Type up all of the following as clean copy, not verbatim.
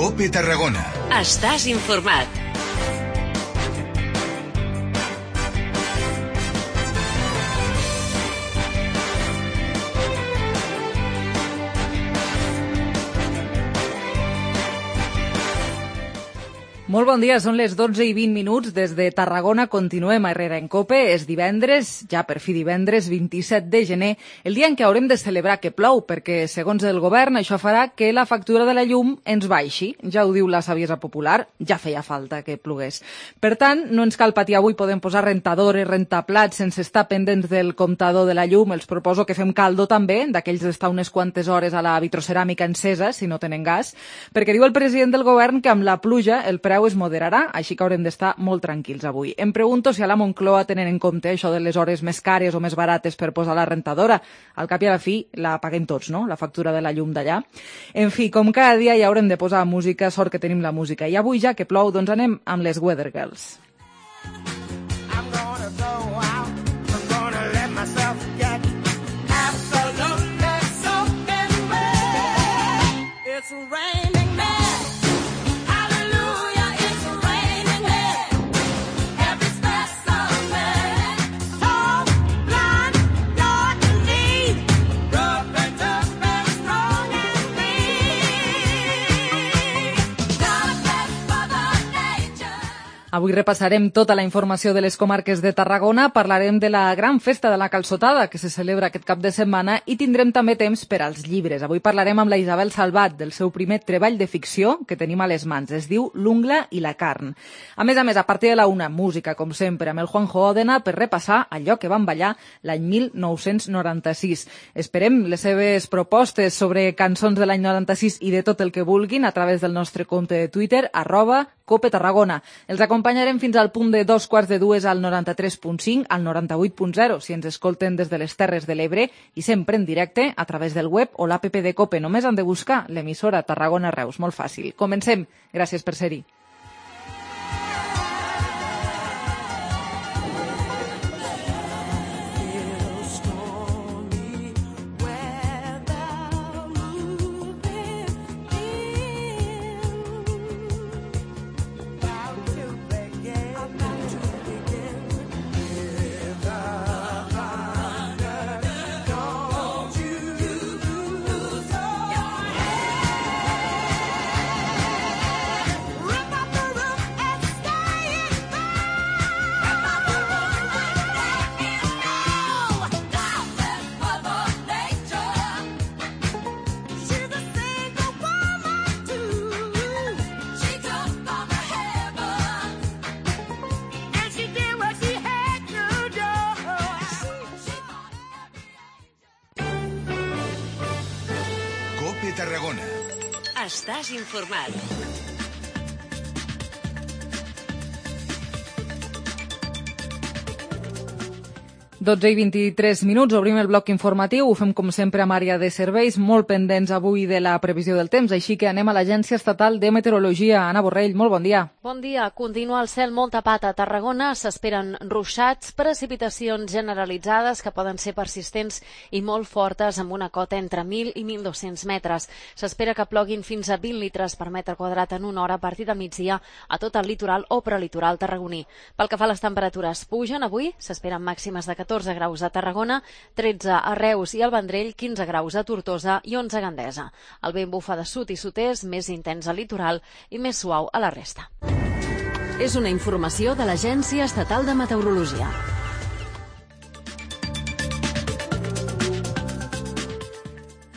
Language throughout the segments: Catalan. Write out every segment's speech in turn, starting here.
COPE Tarragona. Estàs informat. Molt bon dia, són les 12:20 des de Tarragona. Continuem a Herrera en COPE. És divendres, ja per fi divendres, 27 de gener, el dia en què haurem de celebrar que plou, perquè, segons el govern, això farà que la factura de la llum ens baixi. Ja ho diu la saviesa popular, ja feia falta que plogués. Per tant, no ens cal patir avui, podem posar rentadores, rentaplats, sense estar pendents del comptador de la llum. Els proposo que fem caldo també, d'aquells d'estar unes quantes hores a la vitroceràmica encesa, si no tenen gas, perquè diu el president del govern que amb la pluja el preu es moderarà, així que haurem d'estar molt tranquils avui. Em pregunto si a la Moncloa tenen en compte això de les hores més cares o més barates per posar la rentadora. Al cap i a la fi la paguem tots, no?, la factura de la llum d'allà. En fi, com cada dia ja haurem de posar música, sort que tenim la música. I avui, ja que plou, doncs anem amb les Weather Girls. Avui repassarem tota la informació de les comarques de Tarragona, parlarem de la gran festa de la calçotada que se celebra aquest cap de setmana i tindrem també temps per als llibres. Avui parlarem amb la Isabel Salvat del seu primer treball de ficció que tenim a les mans. Es diu L'ungla i la carn. A més, a partir de la una, música, com sempre, amb el Juanjo Òdena per repassar allò que van ballar l'any 1996. Esperem les seves propostes sobre cançons de l'any 96 i de tot el que vulguin a través del nostre compte de Twitter, @COPE Tarragona. Els acompanyarem fins al punt de 2:45 al 93.5, al 98.0, si ens escolten des de les Terres de l'Ebre, i sempre en directe a través del web o l'app de COPE. Només han de buscar l'emissora Tarragona Reus. Molt fàcil. Comencem. Gràcies per ser-hi. COPE Tarragona. Estàs informat. 12:23, obrim el bloc informatiu, ho fem com sempre amb àrea de serveis, molt pendents avui de la previsió del temps, així que anem a l'Agència Estatal de Meteorologia. Anna Borrell, molt bon dia. Bon dia, continua el cel molt tapat a Tarragona, s'esperen ruixats, precipitacions generalitzades que poden ser persistents i molt fortes amb una cota entre 1.000 i 1.200 metres. S'espera que ploguin fins a 20 litres per metre quadrat en una hora a partir de migdia a tot el litoral o prelitoral tarragoní. Pel que fa a les temperatures, pugen avui, s'esperen màximes de 14 graus a Tarragona, 13 a Reus i al Vendrell, 15 graus a Tortosa i 11 a Gandesa. El vent bufa de sud i sud-est, més intens al litoral i més suau a la resta. És una informació de l'Agència Estatal de Meteorologia.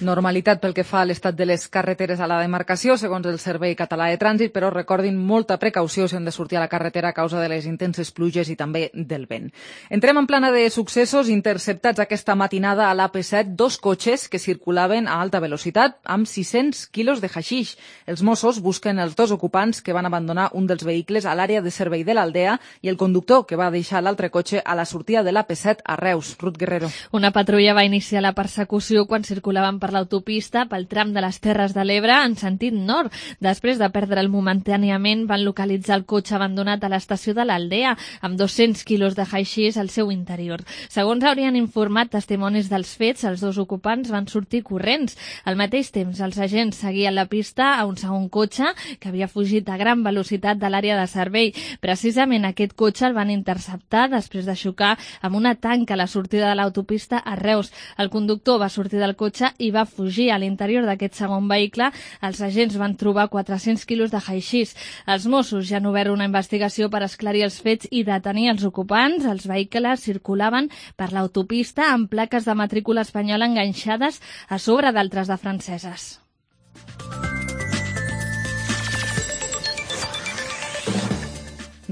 Normalitat pel que fa a l'estat de les carreteres a la demarcació, segons el Servei Català de Trànsit, però recordin molta precaució si han de sortir a la carretera a causa de les intenses pluges i també del vent. Entrem en plana de successos. Interceptats aquesta matinada a l'AP7 dos cotxes que circulaven a alta velocitat amb 600 quilos de haixix. Els Mossos busquen els dos ocupants que van abandonar un dels vehicles a l'àrea de servei de l'Aldea i el conductor que va deixar l'altre cotxe a la sortida de l'AP7 a Reus. Ruth Guerrero. Una patrulla va iniciar la persecució quan circulaven per l'autopista pel tram de les Terres de l'Ebre en sentit nord. Després de perdre'l momentàniament, van localitzar el cotxe abandonat a l'estació de l'Aldea, amb 200 quilos de haixís al seu interior. Segons haurien informat testimonis dels fets, els dos ocupants van sortir corrents. Al mateix temps, els agents seguien la pista a un segon cotxe que havia fugit a gran velocitat de l'àrea de servei. Precisament aquest cotxe el van interceptar després de xocar amb una tanca a la sortida de l'autopista a Reus. El conductor va sortir del cotxe i va fugir. A l'interior d'aquest segon vehicle, els agents van trobar 400 quilos de haixís. Els Mossos ja han obert una investigació per esclarir els fets i detenir els ocupants. Els vehicles circulaven per l'autopista amb plaques de matrícula espanyola enganxades a sobre d'altres de franceses.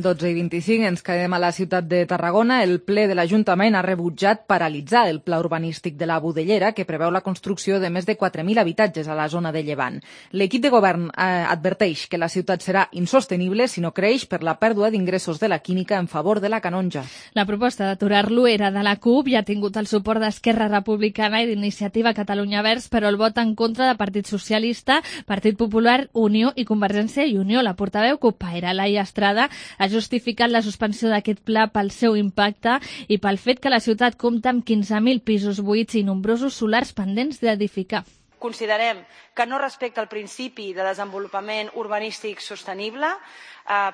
i 25, ens quedem a la ciutat de Tarragona. El ple de l'Ajuntament ha rebutjat paralitzar el pla urbanístic de la Budellera, que preveu la construcció de més de 4.000 habitatges a la zona de Llevant. L'equip de govern adverteix que la ciutat serà insostenible si no creix per la pèrdua d'ingressos de la química en favor de la Canonja. La proposta d'aturar-lo era de la CUP i ha tingut el suport d'Esquerra Republicana i d'Iniciativa Catalunya Verds, però el vot en contra de Partit Socialista, Partit Popular, Unió i Convergència i Unió. La portaveu CUP-paire, Laia Estrada, ha justificat la suspensió d'aquest pla pel seu impacte i pel fet que la ciutat compta amb 15.000 pisos buits i nombrosos solars pendents d'edificar. Considerem que no respecta el principi de desenvolupament urbanístic sostenible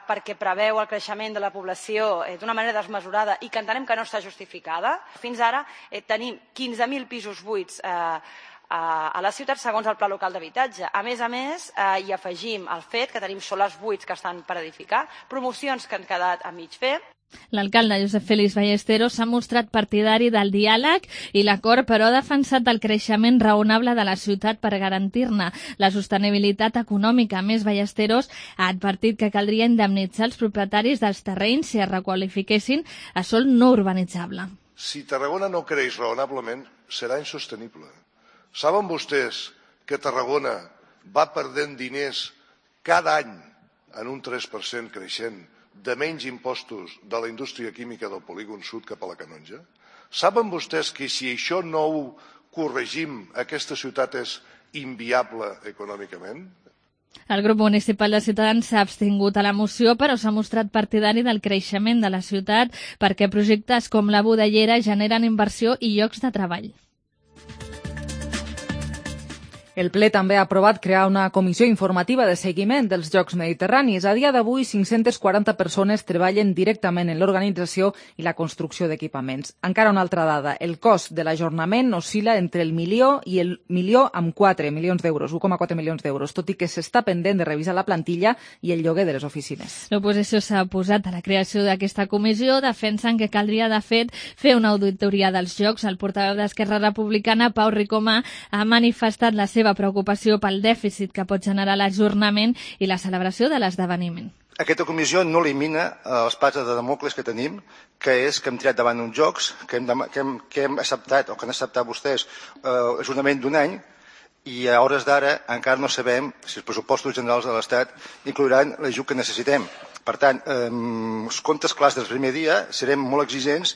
perquè preveu el creixement de la població d'una manera desmesurada i que entenem que no està justificada. Fins ara tenim 15.000 pisos buits a la ciutat segons el Pla Local d'Habitatge. A més, hi afegim el fet que tenim solars buits que estan per edificar, promocions que han quedat a mig fer. L'alcalde Josep Félix Ballesteros s'ha mostrat partidari del diàleg i l'acord, però ha defensat el creixement raonable de la ciutat per garantir-ne la sostenibilitat econòmica. A més, Ballesteros ha advertit que caldria indemnitzar els propietaris dels terrenys si es requalifiquessin a sòl no urbanitzable. Si Tarragona no creix raonablement, serà insostenible. Saben vostès que Tarragona va perdent diners cada any en un 3% creixent de menys impostos de la indústria química del polígon sud cap a la Canonja? Saben vostès que si això no ho corregim, aquesta ciutat és inviable econòmicament? El grup municipal de Ciutadans s'ha abstingut a la moció, però s'ha mostrat partidari del creixement de la ciutat perquè projectes com la Budellera generen inversió i llocs de treball. El ple també ha aprovat crear una comissió informativa de seguiment dels Jocs Mediterranis. A dia d'avui, 540 persones treballen directament en l'organització i la construcció d'equipaments. Encara una altra dada, el cost de l'ajornament oscil·la entre el milió i el milió amb 4 milions d'euros, 1,4 milions d'euros, tot i que s'està pendent de revisar la plantilla i el lloguer de les oficines. L'oposició s'ha oposat a la creació d'aquesta comissió, defensen que caldria, de fet, fer una auditoria dels Jocs. El portaveu d'Esquerra Republicana, Pau Ricomà, ha manifestat la seva preocupació pel dèficit que pot generar l'ajornament i la celebració de l'esdeveniment. Aquesta comissió no elimina l'espasa de Damocles que tenim, que és que hem tirat davant uns jocs, que hem acceptat, o que han acceptat vostès, ajornament d'un any, i a hores d'ara encara no sabem si els pressupostos generals de l'Estat inclouran l'ajut que necessitem. Per tant, els comptes clars del primer dia serem molt exigents.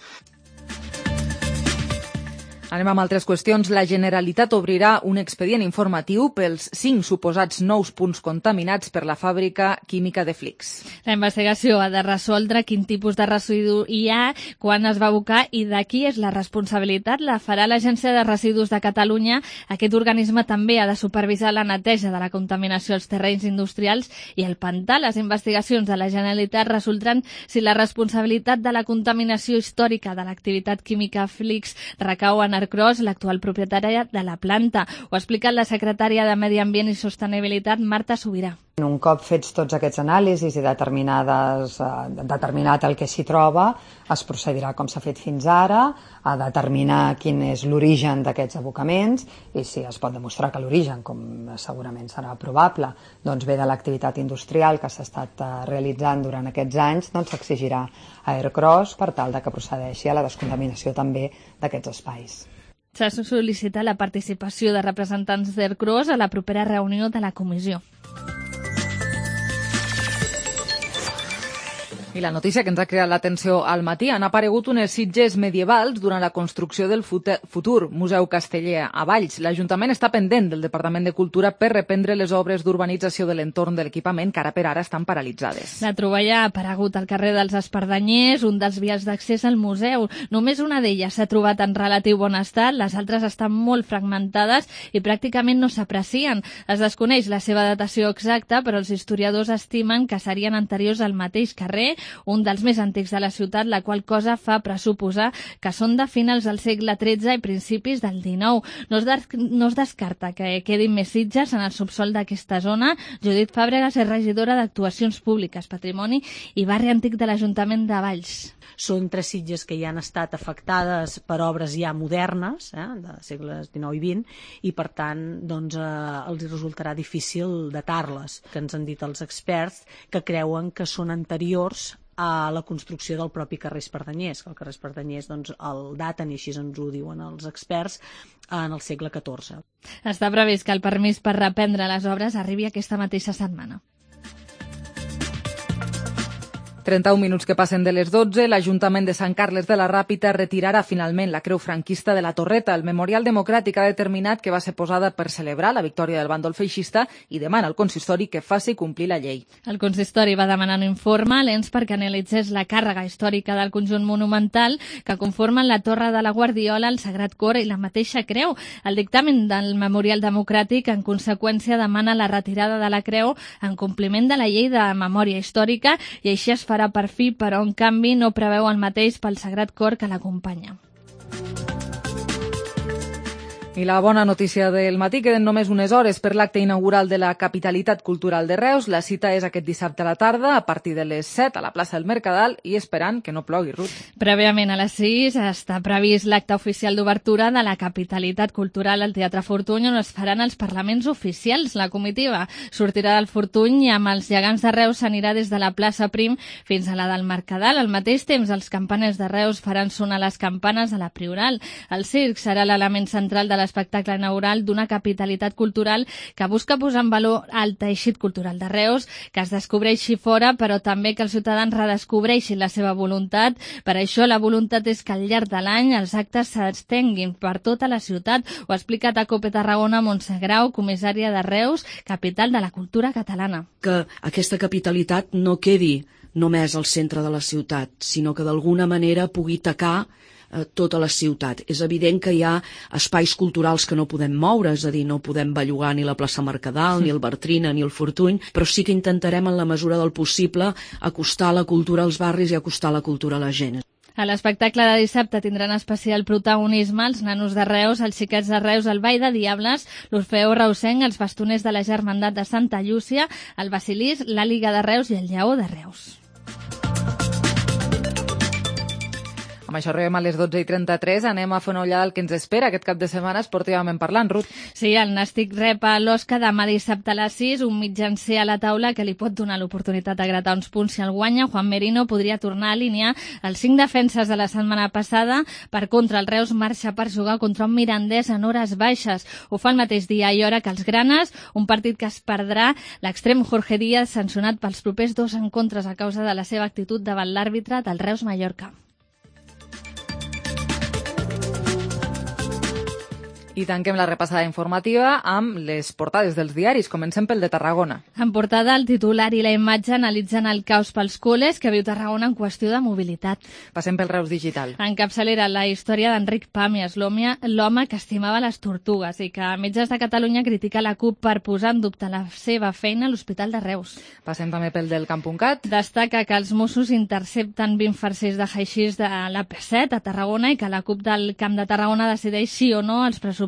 Anem amb altres qüestions. La Generalitat obrirà un expedient informatiu pels 5 suposats nous punts contaminats per la fàbrica química de Flix. La investigació ha de resoldre quin tipus de residu hi ha, quan es va abocar i de qui és la responsabilitat. La farà l'Agència de Residus de Catalunya. Aquest organisme també ha de supervisar la neteja de la contaminació als terrenys industrials i el pantà. Les investigacions de la Generalitat resoldran si la responsabilitat de la contaminació històrica de l'activitat química Flix recau en Arcros, l'actual propietària de la planta. Ho ha explicat la secretària de Medi Ambient i Sostenibilitat, Marta Subirà. Un cop fets tots aquests anàlisis i determinat el que s'hi troba, es procedirà com s'ha fet fins ara, a determinar quin és l'origen d'aquests abocaments i si es pot demostrar que l'origen, com segurament serà probable, doncs ve de l'activitat industrial que s'ha estat realitzant durant aquests anys, doncs s'exigirà a Aircross per tal de que procedeixi a la descontaminació també d'aquests espais. S'ha sol·licitat la participació de representants d'Aircross a la propera reunió de la comissió. I la notícia que ens ha creat l'atenció al matí: han aparegut unes sitges medievals durant la construcció del futur Museu Casteller a Valls. L'Ajuntament està pendent del Departament de Cultura per reprendre les obres d'urbanització de l'entorn de l'equipament, que ara per ara estan paralitzades. La troballa ha aparegut al carrer dels Espardenyers, un dels vials d'accés al museu. Només una d'elles s'ha trobat en relatiu bon estat, les altres estan molt fragmentades i pràcticament no s'aprecien. Es desconeix la seva datació exacta, però els historiadors estimen que serien anteriors al mateix carrer, un dels més antics de la ciutat, la qual cosa fa pressuposar que són de finals del segle XIII i principis del XIX. No es descarta que quedin més sitges en el subsol d'aquesta zona. Judit Fàbregas és regidora d'Actuacions Públiques, Patrimoni i Barri Antic de l'Ajuntament de Valls. Són 3 sitges que ja han estat afectades per obres ja modernes, de segles XIX i XX, i per tant doncs, els resultarà difícil datar-les, que ens han dit els experts que creuen que són anteriors a la construcció del propi carrer Espardenyers, que el carrer Espardenyers doncs, el daten, i així ens ho diuen els experts, en el segle XIV. Està previst que el permís per reprendre les obres arribi aquesta mateixa setmana. 31 minuts que passen de les 12, l'Ajuntament de Sant Carles de la Ràpita retirarà finalment la creu franquista de la Torreta. El Memorial Democràtic ha determinat que va ser posada per celebrar la victòria del bàndol feixista i demana al consistori que faci complir la llei. El consistori va demanar un informe a l'ENS perquè analitzés la càrrega històrica del conjunt monumental que conformen la Torre de la Guardiola, el Sagrat Cor i la mateixa creu. El dictamen del Memorial Democràtic, en conseqüència, demana la retirada de la creu en compliment de la llei de memòria històrica i així es farà per fi, però en canvi no preveu el mateix pel Sagrat Cor que l'acompanya. I la bona notícia del matí: queden només unes hores per l'acte inaugural de la Capitalitat Cultural de Reus. La cita és aquest dissabte a la tarda, a partir de les 7 a la plaça del Mercadal, i esperant que no plogui, Ruth. Prèviament a les 6 està previst l'acte oficial d'obertura de la Capitalitat Cultural al Teatre Fortuny, on es faran els parlaments oficials. La comitiva sortirà del Fortuny i amb els gegants de Reus s'anirà des de la plaça Prim fins a la del Mercadal. Al mateix temps, els campaners de Reus faran sonar les campanes a la Prioral. El circ serà l'element central de l'espectacle inaugural d'una capitalitat cultural que busca posar en valor el teixit cultural de Reus, que es descobreixi fora, però també que els ciutadans redescobreixin la seva voluntat. Per això la voluntat és que al llarg de l'any els actes s'estenguin per tota la ciutat. Ho ha explicat a COPE Tarragona Montse Grau, comissària de Reus, capital de la cultura catalana. Que aquesta capitalitat no quedi només al centre de la ciutat, sinó que d'alguna manera pugui tacar tota la ciutat. És evident que hi ha espais culturals que no podem moure, és a dir, no podem bellugar ni la plaça Mercadal, ni el Bartrina, ni el Fortuny, però sí que intentarem en la mesura del possible acostar la cultura als barris i acostar la cultura a la gent. A l'espectacle de dissabte tindran especial protagonisme els nanos de Reus, els xiquets de Reus, el Ball de Diables, l'Orfeó Reusenc, els bastoners de la Germandat de Santa Llúcia, el Basilís, la Liga de Reus i el Lleó de Reus. Amb això arribem a les 12:33, anem a fer una ullada al que ens espera aquest cap de setmana esportivament parlant, Ruth. Sí, el Nàstic rep a l'Osca demà dissabte a les 6, un mitjancer a la taula que li pot donar l'oportunitat de gratar uns punts si el guanya. Juan Merino podria tornar a alinear els 5 defenses de la setmana passada. Per contra, el Reus marxa per jugar contra un Mirandés en hores baixes. Ho fa el mateix dia i hora que els Granes, un partit que es perdrà l'extrem Jorge Díaz, sancionat pels propers 2 encontres a causa de la seva actitud davant l'àrbitre del Reus Mallorca. I tanquem la repassada informativa amb les portades dels diaris. Comencem pel de Tarragona. En portada, el titular i la imatge analitzen el caos pels col·les que viu Tarragona en qüestió de mobilitat. Passem pel Reus Digital. En capçalera, la història d'Enric Pàmies, l'home que estimava les tortugues i que Metges de Catalunya critica la CUP per posar en dubte la seva feina a l'Hospital de Reus. Passem també pel del Camp.cat. Destaca que els Mossos intercepten 20 farcers de haixís de l'AP7 a Tarragona i que la CUP del Camp de Tarragona decideix sí o no els pressupostos,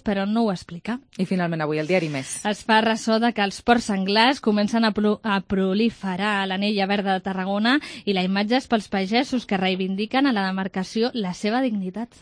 però no ho explica. I finalment avui el diari Més. Es fa ressò de que els porcs senglars comencen a proliferar a l'anella verda de Tarragona i la imatge és pels pagesos que reivindiquen a la demarcació la seva dignitat.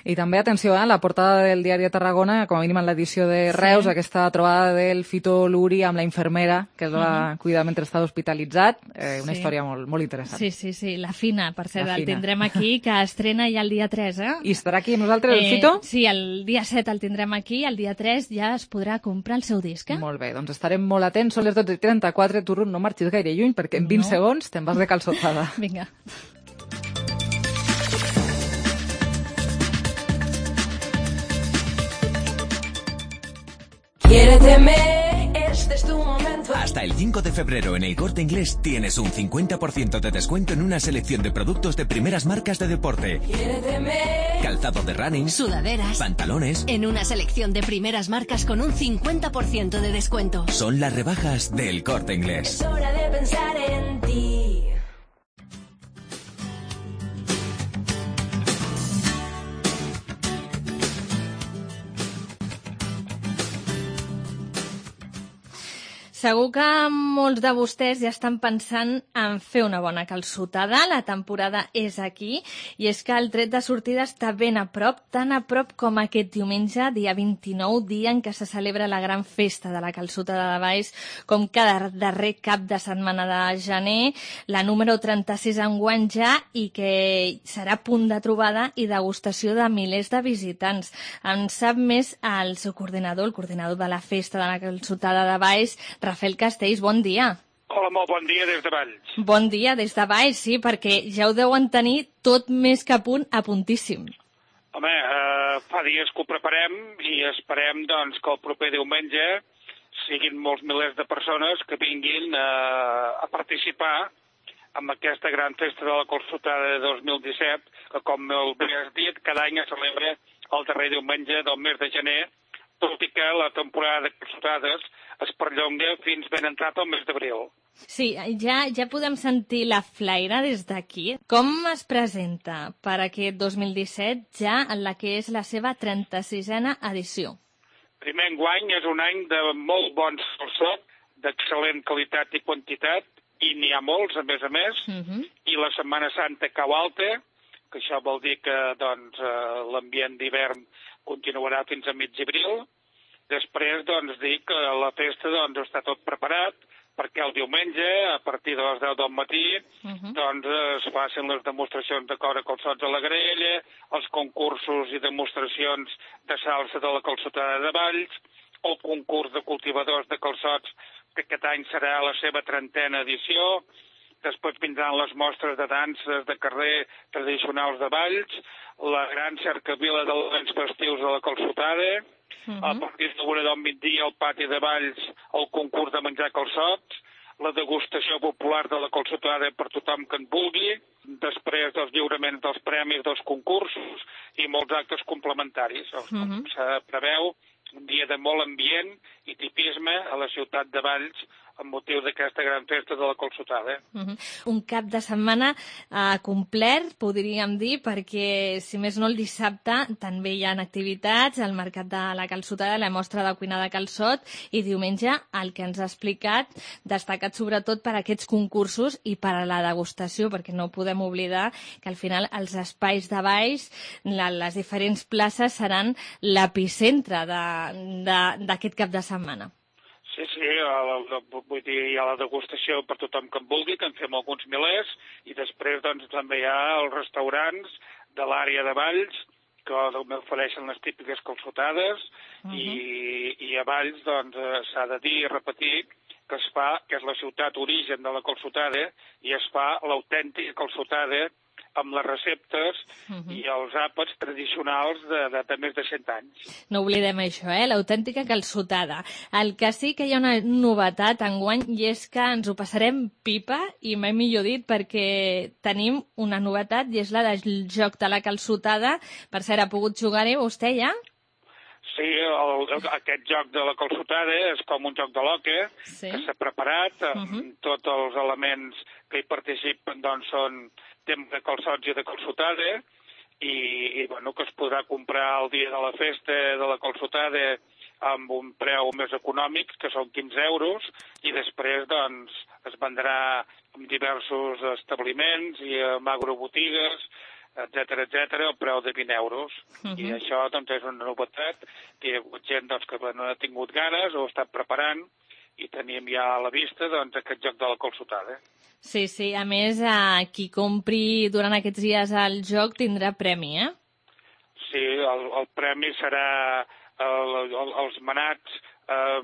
I també, atenció, la portada del diari de Tarragona, com a mínim en l'edició de Reus, aquesta trobada del Fito Luri amb la infermera que es va cuidar mentre estava hospitalitzat. Una història molt interessant. Sí, la Fina, per cert, el tindrem aquí, que estrena ja el dia 3, I estarà aquí amb nosaltres el Fito? Sí, el dia 7 7 el tindrem aquí, el dia 3 ja es podrà comprar el seu disc. Molt bé, doncs estarem molt atents. Són les 12:34, tu, Ruth, no marxis gaire lluny, perquè en 20 segons te'n vas de calçotada. Vinga. Este es tu momento. Hasta el 5 de febrero en El Corte Inglés tienes un 50% de descuento en una selección de productos de primeras marcas de deporte. Calzado de running, sudaderas, pantalones. En una selección de primeras marcas con un 50% de descuento. Son las rebajas del Corte Inglés. Es hora de pensar en ti. Segur que molts de vostès ja estan pensant en fer una bona calçotada. La temporada és aquí i és que el tret de sortida està ben a prop, tan a prop com aquest diumenge, dia 29, dia en què se celebra la gran festa de la calçotada de Valls, com cada darrer cap de setmana de gener, la número 36 enguany ja, i que serà punt de trobada i degustació de milers de visitants. En sap més el seu coordinador, el coordinador de la festa de la calçotada de Valls, Rafael Castells, bon dia. Hola, molt bon dia des de Valls. Bon dia des de Valls, sí, perquè ja ho deuen tenir tot més que a puntíssim. Home, fa dies que ho preparem i esperem doncs, que el proper diumenge siguin molts milers de persones que vinguin a participar en aquesta gran festa de la calçotada de 2017, que com bé has dit, cada any es celebra el darrer diumenge del mes de gener, tot i que la temporada de calçotades es perllonga fins ben entrat al mes d'abril. Sí, ja podem sentir la flaire des d'aquí. Com es presenta per aquest 2017 ja en la que és la seva 36a edició? Primer enguany és un any de molt bon calçot, d'excel·lent qualitat i quantitat, i n'hi ha molts, a més, i la Setmana Santa cau alta, que això vol dir que doncs, l'ambient d'hivern continuarà fins a mig abril. Després, doncs, dir que la festa doncs, està tot preparat perquè el diumenge, a partir de les 10 del matí, doncs, es facin les demostracions de cor a calçots a la graella, els concursos i demostracions de salsa de la calçotada de Valls, el concurs de cultivadors de calçots, que aquest any serà la seva 30a edició. Després vindran les mostres de danses de carrer tradicionals de Valls, la gran cercavila d'elements festius de la calçotada, a partir d'una del migdia al pati de Valls el concurs de menjar calçots, la degustació popular de la calçotada per tothom que en vulgui, després dels lliuraments dels premis dels concursos i molts actes complementaris. Se preveu un dia de molt ambient i tipisme a la ciutat de Valls amb motiu d'aquesta gran festa de la calçotada. Un cap de setmana complet, podríem dir, perquè, si més no, el dissabte també hi ha activitats, el mercat de la calçotada, la mostra de cuina de calçot, i diumenge, el que ens ha explicat, destacat sobretot per aquests concursos i per a la degustació, perquè no podem oblidar que al final els espais de Valls, les diferents places, seran l'epicentre d'aquest cap de setmana. Sí, vull dir, hi ha la degustació per tothom que en vulgui, que en fem alguns milers, i després doncs, també hi ha els restaurants de l'àrea de Valls, que ofereixen les típiques calçotades, i a Valls doncs, s'ha de dir i repetir que es fa, que és la ciutat origen de la calçotada, i es fa l'autèntica calçotada amb les receptes i els àpats tradicionals de més de 100 anys. No oblidem això, l'autèntica calçotada. El que sí que hi ha una novetat enguany i és que ens ho passarem pipa, i mai millor dit, perquè tenim una novetat i és la del joc de la calçotada. Per cert, ha pogut jugar-hi vostè ja? Sí, aquest joc de la calçotada és com un joc de l'hoquei que s'ha preparat, tots els elements que hi participen doncs, són temps de calçots i de calçotada, i bueno, que es podrà comprar el dia de la festa de la calçotada amb un preu més econòmic, que són 15 euros, i després doncs, es vendrà en diversos establiments i en agrobotigues, etcètera, el preu de 20 euros. I això doncs, és una novetat, que hi ha hagut gent doncs, que no ha tingut ganes o ha estat preparant, i tenim ja a la vista doncs, aquest joc de la calçotada. Sí, a més, qui compri durant aquests dies el joc tindrà premi, sí, el premi serà els manats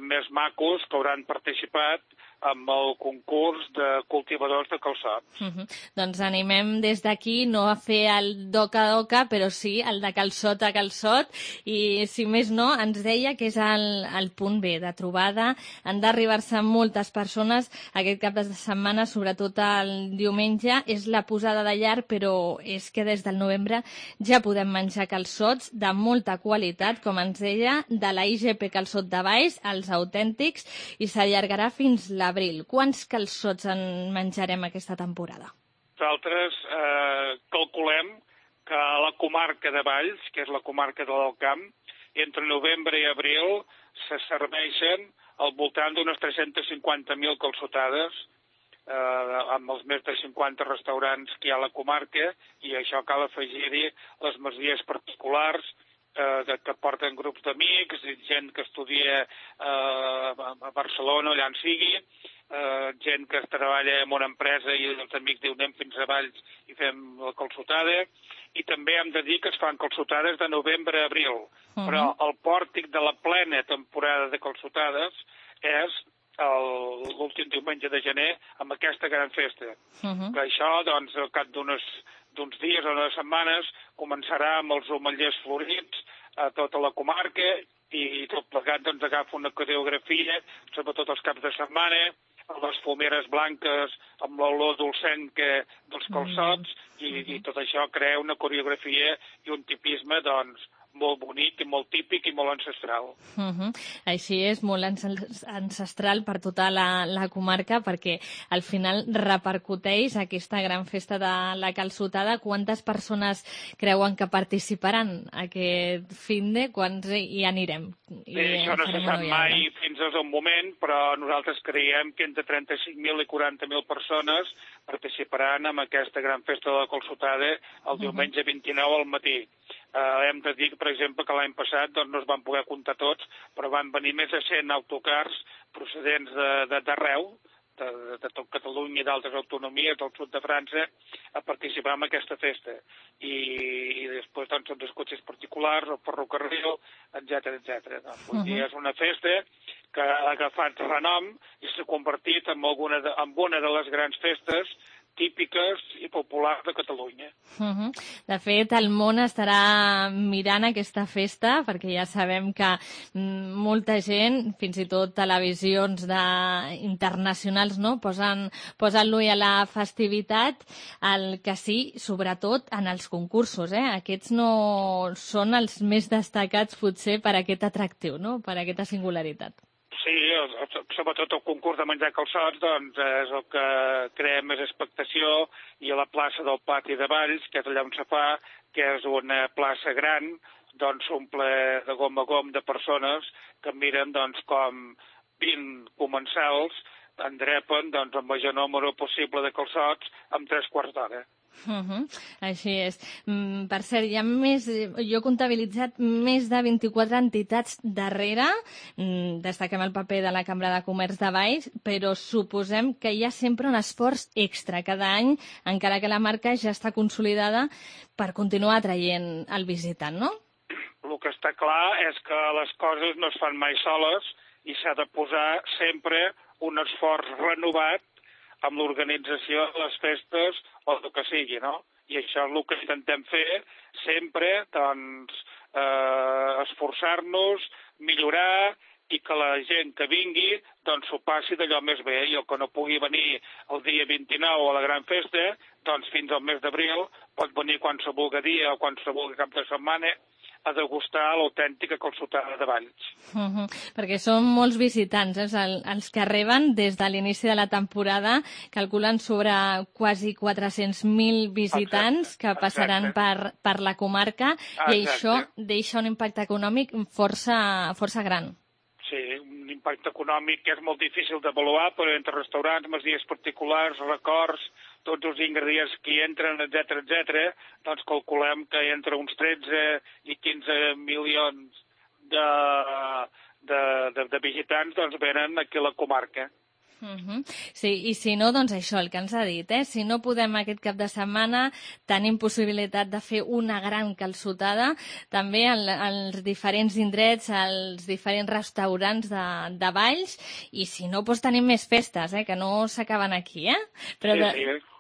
més macos que hauran participat amb el concurs de cultivadors de calçots. Doncs animem des d'aquí no a fer el doca-doca, però sí el de calçot a calçot, i si més no, ens deia que és el punt B de trobada. Han d'arribar-se moltes persones aquest cap de setmana, sobretot el diumenge. És la posada de llar, però és que des del novembre ja podem menjar calçots de molta qualitat, com ens deia, de la IGP Calçot de Valls, els autèntics, i s'allargarà fins l'abril. Quants calçots en menjarem aquesta temporada? Nosaltres calculem que a la comarca de Valls, que és la comarca de l'Alt Camp, entre novembre i abril se serveixen al voltant d'unes 350.000 calçotades amb els més de 50 restaurants que hi ha a la comarca, i això cal afegir-hi les masies particulars que porten grups d'amics, gent que estudia a Barcelona, allà on sigui, gent que treballa en una empresa i els amics diuen anem fins a Valls i fem la calçotada, i també hem de dir que es fan calçotades de novembre a abril, però el pòrtic de la plena temporada de calçotades és l'últim diumenge de gener amb aquesta gran festa. Que això, doncs, al cap d'uns dies o unes setmanes començarà amb els omellers florits a tota la comarca, i tot plegat doncs agafa una coreografia, sobretot els caps de setmana, les fumeres blanques amb l'olor dolcenca dels calçots, i tot això crea una coreografia i un tipisme, doncs, molt bonic i molt típic i molt ancestral. Així és, molt ancestral per tota la comarca, perquè al final repercuteix aquesta gran festa de la calçotada. Quantes persones creuen que participaran aquest finde? Quants hi anirem? Això no se sap mai fins al moment, però nosaltres creiem que entre 35.000 i 40.000 persones participaran en aquesta gran festa de la calçotada el diumenge 29 al matí. Hem de dir, per exemple, que l'any passat no es van poder comptar tots, però van venir més de 100 autocars procedents d'arreu, de tot Catalunya i d'altres autonomies del sud de França, a participar en aquesta festa. I després són els cotxes particulars, el ferrocarril, etc. És una festa que ha agafat renom i s'ha convertit en una de les grans festes típiques i populars de Catalunya. De fet, el món estarà mirant aquesta festa, perquè ja sabem que molta gent, fins i tot televisions internacionals, posen l'ull a la festivitat. El que sí, sobretot en els concursos, aquests no són els més destacats potser per aquest atractiu, per aquesta singularitat. Sí, sobretot el concurs de menjar calçots doncs, és el que crea més expectació, i a la plaça del Pati de Valls, que és allà on se fa, que és una plaça gran, doncs s'omple de gom a gom de persones que miren com 20 comensals endrepen el major número possible de calçots en 3 quarts d'hora. Així és. Per cert, jo he comptabilitzat més de 24 entitats darrere. Destaquem el paper de la Cambra de Comerç de Valls, però suposem que hi ha sempre un esforç extra cada any, encara que la marca ja està consolidada, per continuar atraient el visitant, no? El que està clar és que les coses no es fan mai soles i s'ha de posar sempre un esforç renovat amb l'organització de les festes o el que sigui, no? I això és el que intentem fer sempre, doncs, esforçar-nos, millorar, i que la gent que vingui doncs s'ho passi d'allò més bé, i el que no pugui venir el dia 29 a la gran festa, doncs fins al mes d'abril pot venir qualsevol dia o qualsevol cap de setmana a degustar l'autèntica calçotada de Valls. Perquè són molts visitants, els que arriben des de l'inici de la temporada, calculen sobre quasi 400.000 visitants que passaran per la comarca, i això deixa un impacte econòmic força gran. Sí, un impacte econòmic que és molt difícil d'avaluar, però entre restaurants, masies particulars, records, tots els ingredients que hi entren, etc., doncs calculem que entre uns 13 i 15 milions de visitants doncs venen aquí a la comarca. Sí, i si no, doncs això, el que ens ha dit, si no podem aquest cap de setmana, tenim possibilitat de fer una gran calçotada, també als diferents indrets, als diferents restaurants de Valls, i si no, doncs tenim més festes, que no s'acaben aquí, Però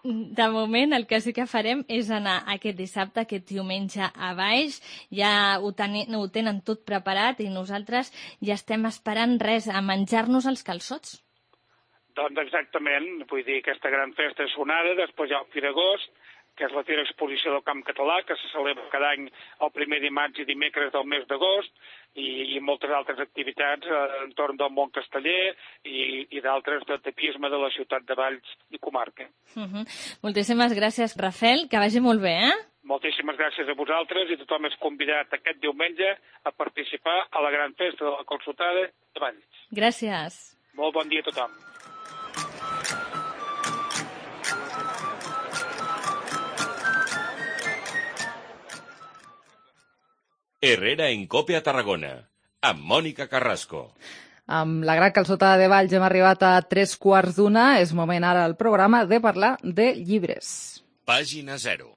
de moment el que sí que farem és anar aquest dissabte, aquest diumenge a Valls, ja ho tenen tot preparat i nosaltres ja estem esperant res, a menjar-nos els calçots. Doncs exactament, vull dir, aquesta gran festa és sonada, després hi ha el Firagost, que és la Fira Exposició del Camp Català, que se celebra cada any el primer dimarts i dimecres del mes d'agost, i moltes altres activitats entorn del món casteller i d'altres de tapisme de la ciutat de Valls i comarca. Moltíssimes gràcies, Rafel, que vagi molt bé, Moltíssimes gràcies a vosaltres i tothom és convidat aquest diumenge a participar a la gran festa de la calçotada de Valls. Gràcies. Molt bon dia a tothom. Herrera en Cope a Tarragona, amb Mònica Carrasco. Amb la gran calçotada de Valls hem arribat a 3:15. És moment ara al programa de parlar de llibres. Pàgina 0.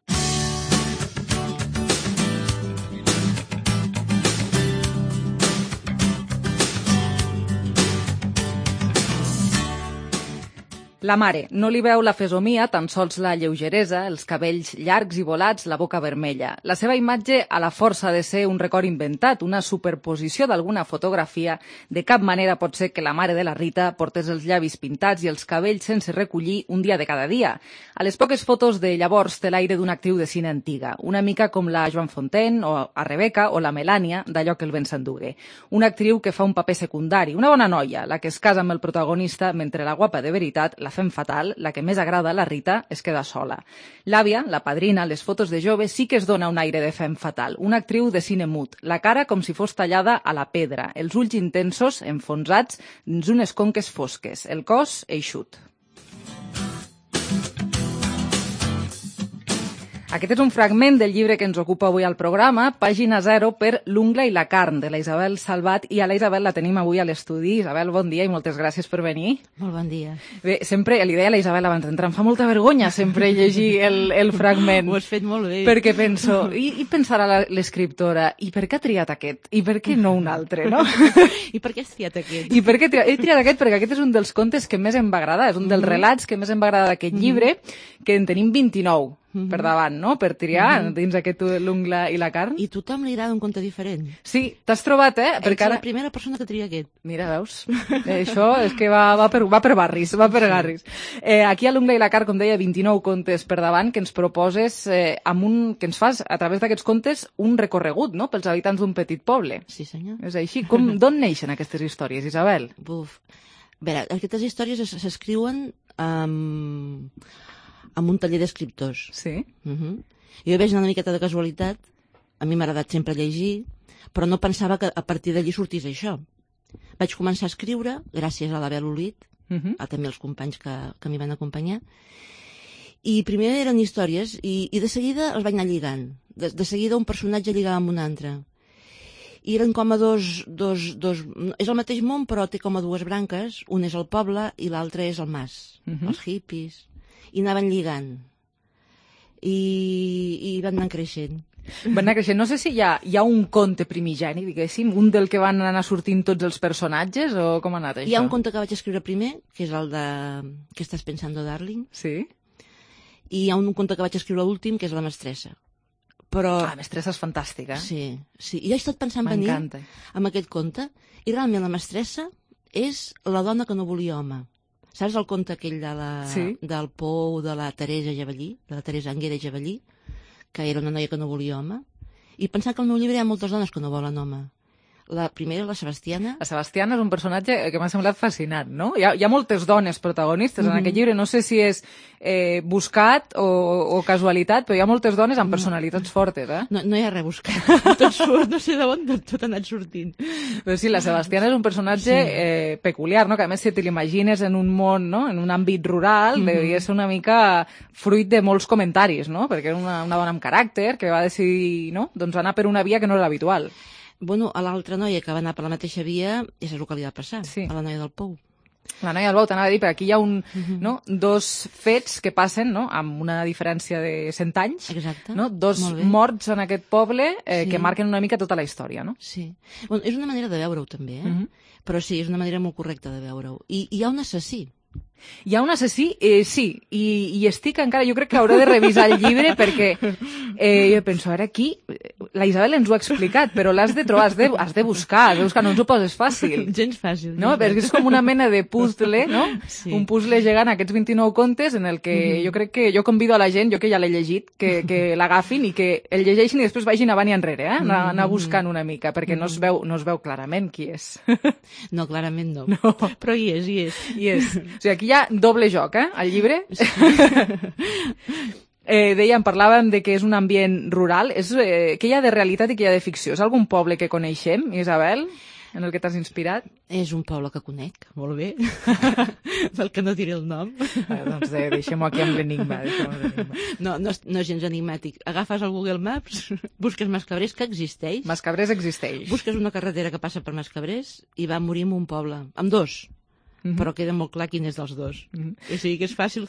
La mare no li veu la fesomia, tan sols la lleugeresa, els cabells llargs i volats, la boca vermella. La seva imatge a la força de ser un record inventat, una superposició d'alguna fotografia. De cap manera pot ser que la mare de la Rita portés els llavis pintats i els cabells sense recollir un dia de cada dia. A les poques fotos de llavors té l'aire d'una actriu de cine antiga, una mica com la Joan Fontaine o a Rebeca o la Melània d'Allò que el vent s'endugué. Una actriu que fa un paper secundari, una bona noia, la que es casa amb el protagonista mentre la guapa de veritat, la fem fatal, la que més agrada a la Rita, es queda sola. L'àvia, la padrina, les fotos de jove sí que es dona un aire de fem fatal, una actriu de cine mut, la cara com si fos tallada a la pedra, els ulls intensos, enfonsats dins unes conques fosques, el cos eixut. Aquest és un fragment del llibre que ens ocupa avui al programa, Pàgina 0 per L'ungla i la carn, de la Isabel Salvat, i a la Isabel la tenim avui a l'estudi. Isabel, bon dia i moltes gràcies per venir. Molt bon dia. Bé, sempre, li deia a la Isabel abans d'entrar, em fa molta vergonya sempre llegir el fragment. Ho has fet molt bé. Perquè penso, i pensarà l'escriptora, i per què ha triat aquest? I per què no un altre, no? I per què has triat aquest? I per què he triat aquest? Perquè aquest és un dels contes que més em va agradar, és un dels relats que més em va agradar d'aquest llibre, que en tenim 29. Per davant, no? Per triar dins aquest L'ungla i la carn. I a tothom li agrada un conte diferent. Sí, t'has trobat, Ets la primera persona que tria aquest. Mira, veus? Això és que va per barris, va per garris. Aquí a L'ungla i la carn, com deia, 29 contes per davant que ens proposes, que ens fas, a través d'aquests contes, un recorregut, no?, pels habitants d'un petit poble. Sí, senyor. És així. D'on neixen aquestes històries, Isabel? Buf. A veure, aquestes històries s'escriuen amb un taller d'escriptors. Sí? Jo veig una miqueta de casualitat, a mi m'ha agradat sempre llegir, però no pensava que a partir d'allí sortís això. Vaig començar a escriure, gràcies a l'Abel Olit, a també els companys que m'hi van acompanyar, i primer eren històries, i de seguida els vaig anar lligant. De seguida un personatge lligava amb un altre. I eren com a dos... És el mateix món, però té com a dues branques. Un és el poble i l'altre és el mas, els hippies. I anaven lligant i van anar creixent. Van anar creixent. No sé si hi ha un conte primigeni, diguéssim, un del que van anar sortint tots els personatges, o com ha anat això? Hi ha un conte que vaig escriure primer, que és el de Què estàs pensando, darling? Sí. I hi ha un conte que vaig escriure l'últim, que és La mestressa. Però... La mestressa és fantàstica. Sí. I jo he estat pensant venir amb aquest conte, i realment La mestressa és la dona que no volia home. Saps el conte aquell del Pou de la Teresa Javellí, de la Teresa Anguera Javellí, que era una noia que no volia home? I pensar que al meu llibre hi ha moltes dones que no volen home. La primera, la Sebastiana. La Sebastiana és un personatge que m'ha semblat fascinant, no? Hi ha moltes dones protagonistes en aquest llibre, no sé si és buscat o casualitat, però hi ha moltes dones amb personalitats fortes, No hi ha res buscat, tot surt, no sé d'on tot ha anat sortint. Però sí, la Sebastiana és un personatge peculiar, no? Que a més si te l'imagines en un món, no?, en un àmbit rural, devia ser una mica fruit de molts comentaris, no? Perquè era una dona amb caràcter que va decidir, no?, doncs anar per una via que no era habitual. Bueno, a l'altra noia que va anar per la mateixa via, és el que li va passar, a la noia del Pou. La noia del bou, t'anava a dir, perquè aquí hi ha dos fets que passen amb una diferència de 100 anys. Exacte. Dos morts en aquest poble que marquen una mica tota la història. No? Sí. Bueno, és una manera de veure-ho també, però sí, és una manera molt correcta de veure-ho. I hi ha un assassí. Hi ha un assassí? Sí, i estic encara... Jo crec que hauré de revisar el llibre perquè jo penso, a veure, aquí... La Isabel ens ho ha explicat, però l'has de trobar, has de buscar, no ens ho poses fàcil. Gens fàcil. No? Perquè és com una mena de puzzle, no? Sí. Un puzzle gegant, aquests 29 contes, en el que jo crec que jo convido a la gent, jo que ja l'he llegit, que l'agafin i que el llegeixin i després vagin avant i enrere, anar buscant una mica, perquè no es veu clarament qui és. No, clarament no. Però hi és. Hi és. O sigui, aquí hi ha doble joc, al llibre. Sí. Parlàvem de que és un ambient rural. Què hi ha de realitat i què hi ha de ficció? És algun poble que coneixem, Isabel, en el que t'has inspirat? És un poble que conec, molt bé, pel que no diré el nom. Doncs deixem-ho aquí amb l'enigma. No és gens enigmàtic. Agafes el Google Maps, busques Mascabrers, que existeix. Mascabrers existeix. Busques una carretera que passa per Mascabrers i va morir en un poble, amb dos. Però queda molt clar quin és dels dos. O sigui que és fàcil.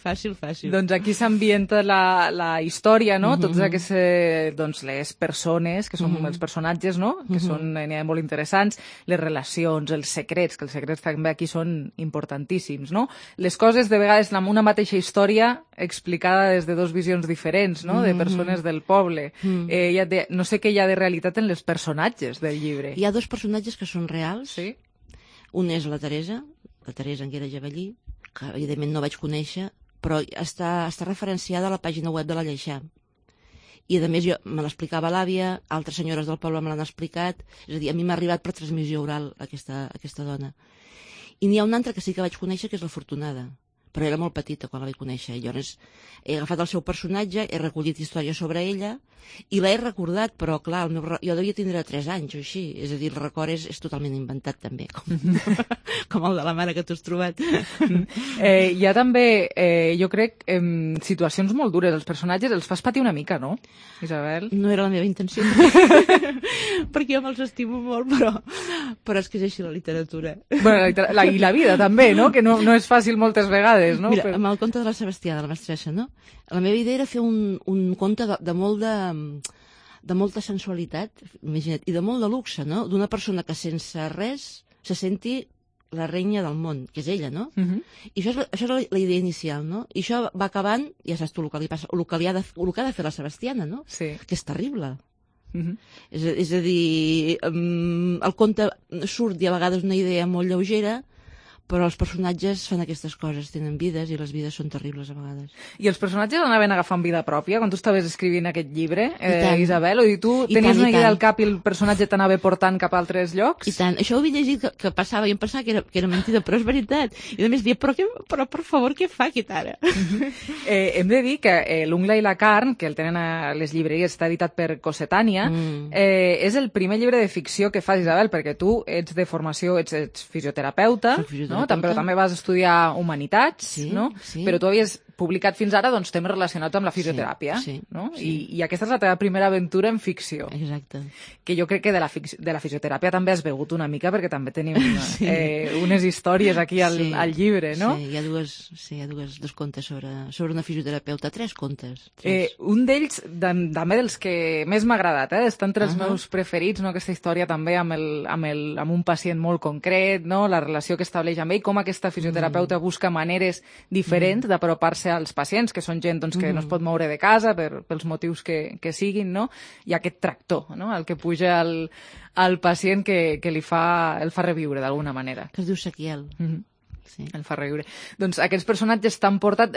Doncs aquí s'ambienta la història, no? Totes aquestes, les persones, que són els personatges, no? Que són molt interessants, les relacions, els secrets, que els secrets també aquí són importantíssims, no? Les coses, de vegades, amb una mateixa història explicada des de dos visions diferents, no? De persones del poble. No sé què hi ha de realitat en els personatges del llibre. Hi ha dos personatges que són reals. Sí. Un és la Teresa Anguera Javallí, que evidentment no vaig conèixer, però està referenciada a la pàgina web de la Lleixà. I a més me l'explicava l'àvia, altres senyores del poble me l'han explicat, és a dir, a mi m'ha arribat per transmissió oral aquesta dona. I n'hi ha una altra que sí que vaig conèixer, que és la Fortunada, però era molt petita quan la vaig conèixer. I llavors he agafat el seu personatge, he recollit històries sobre ella i l'he recordat, però clar, jo devia tindre 3 anys o així, és a dir, el record és totalment inventat també, com el de la mare que tu has trobat. Hi ha també, jo crec, situacions molt dures. Els personatges els fas patir una mica, no, Isabel? No era la meva intenció, perquè jo me'ls estimo molt, però és que és així la literatura. I la vida també, no? Que no és fàcil moltes vegades, no? Mira, amb el conte de la Sebastià, de la mestressa, no? La meva idea era fer un conte de molta sensualitat, imagina't, i de molt de luxe, no? D'una persona que sense res se senti la reina del món, que és ella, no? I això és la idea inicial, no? I això va acabant, ja saps tu el que li passa, el que ha de fer la Sebastiana, no? Sí. Que és terrible. És a dir, el conte surt i a vegades una idea molt lleugera, però els personatges fan aquestes coses, tenen vides i les vides són terribles a vegades. I els personatges anaven agafant vida pròpia quan tu estaves escrivint aquest llibre, Isabel? O dir, tu tenies una idea al cap i el personatge t'anava portant cap a altres llocs? I tant. Això ho havia llegit que passava i em pensava que era mentida, però és veritat. I a més dia, però per favor, què fa aquest ara? Hem de dir que L'ungla i la carn, que el tenen a les llibreries, està editat per Cossetània, és el primer llibre de ficció que fas, Isabel, perquè tu ets de formació, ets fisioterapeuta, no? Però també vas estudiar humanitats, no? Però tu havies publicat fins ara temes relacionats amb la fisioteràpia, no? I aquesta és la teva primera aventura en ficció. Exacte. Que jo crec que de la fisioteràpia també has begut una mica, perquè també tenim unes històries aquí al llibre, no? Sí, hi ha dos contes sobre una fisioterapeuta, 3 contes. Un d'ells, també dels que més m'ha agradat, està entre els meus preferits, no? Aquesta història també amb un pacient molt concret, no? La relació que estableix amb ell, com aquesta fisioterapeuta busca maneres diferents d'apropar-se als pacients, que són gent que no es pot moure de casa pels motius que siguin, no? I aquest tractor, no? El que puja al pacient que el fa reviure d'alguna manera. Que es diu Sequiel. El fa reviure. Doncs aquests personatges t'han portat,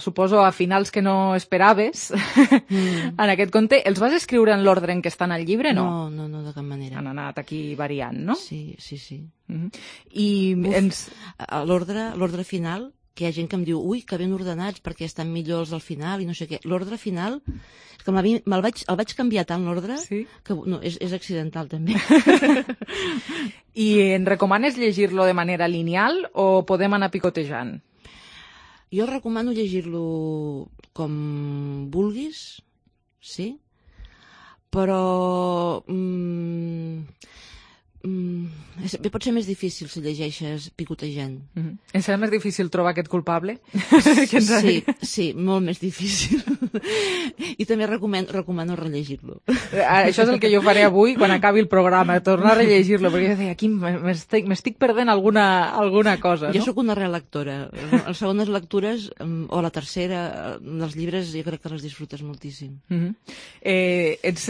suposo, a finals que no esperaves en aquest conte. Els vas escriure en l'ordre en què estan al llibre, no? No, de cap manera. Han anat aquí variant, no? Sí. I l'ordre final, que hi ha gent que em diu, ui, que ben ordenats perquè estan millors al final i no sé què. L'ordre final, és que el vaig canviar tant l'ordre que no, és accidental també. I en recomanes llegir-lo de manera lineal o podem anar picotejant? Jo recomano llegir-lo com vulguis, sí, però Pot ser més difícil si llegeixes picotejant. Em serà més difícil trobar aquest culpable? Sí, molt més difícil. I també recomano rellegir-lo. Això és el que jo faré avui quan acabi el programa, tornar a rellegir-lo, perquè jo deia, aquí m'estic perdent alguna cosa, no? Jo sóc una relectora. Les segones lectures, o la tercera, dels llibres, jo crec que les disfrutes moltíssim. Ets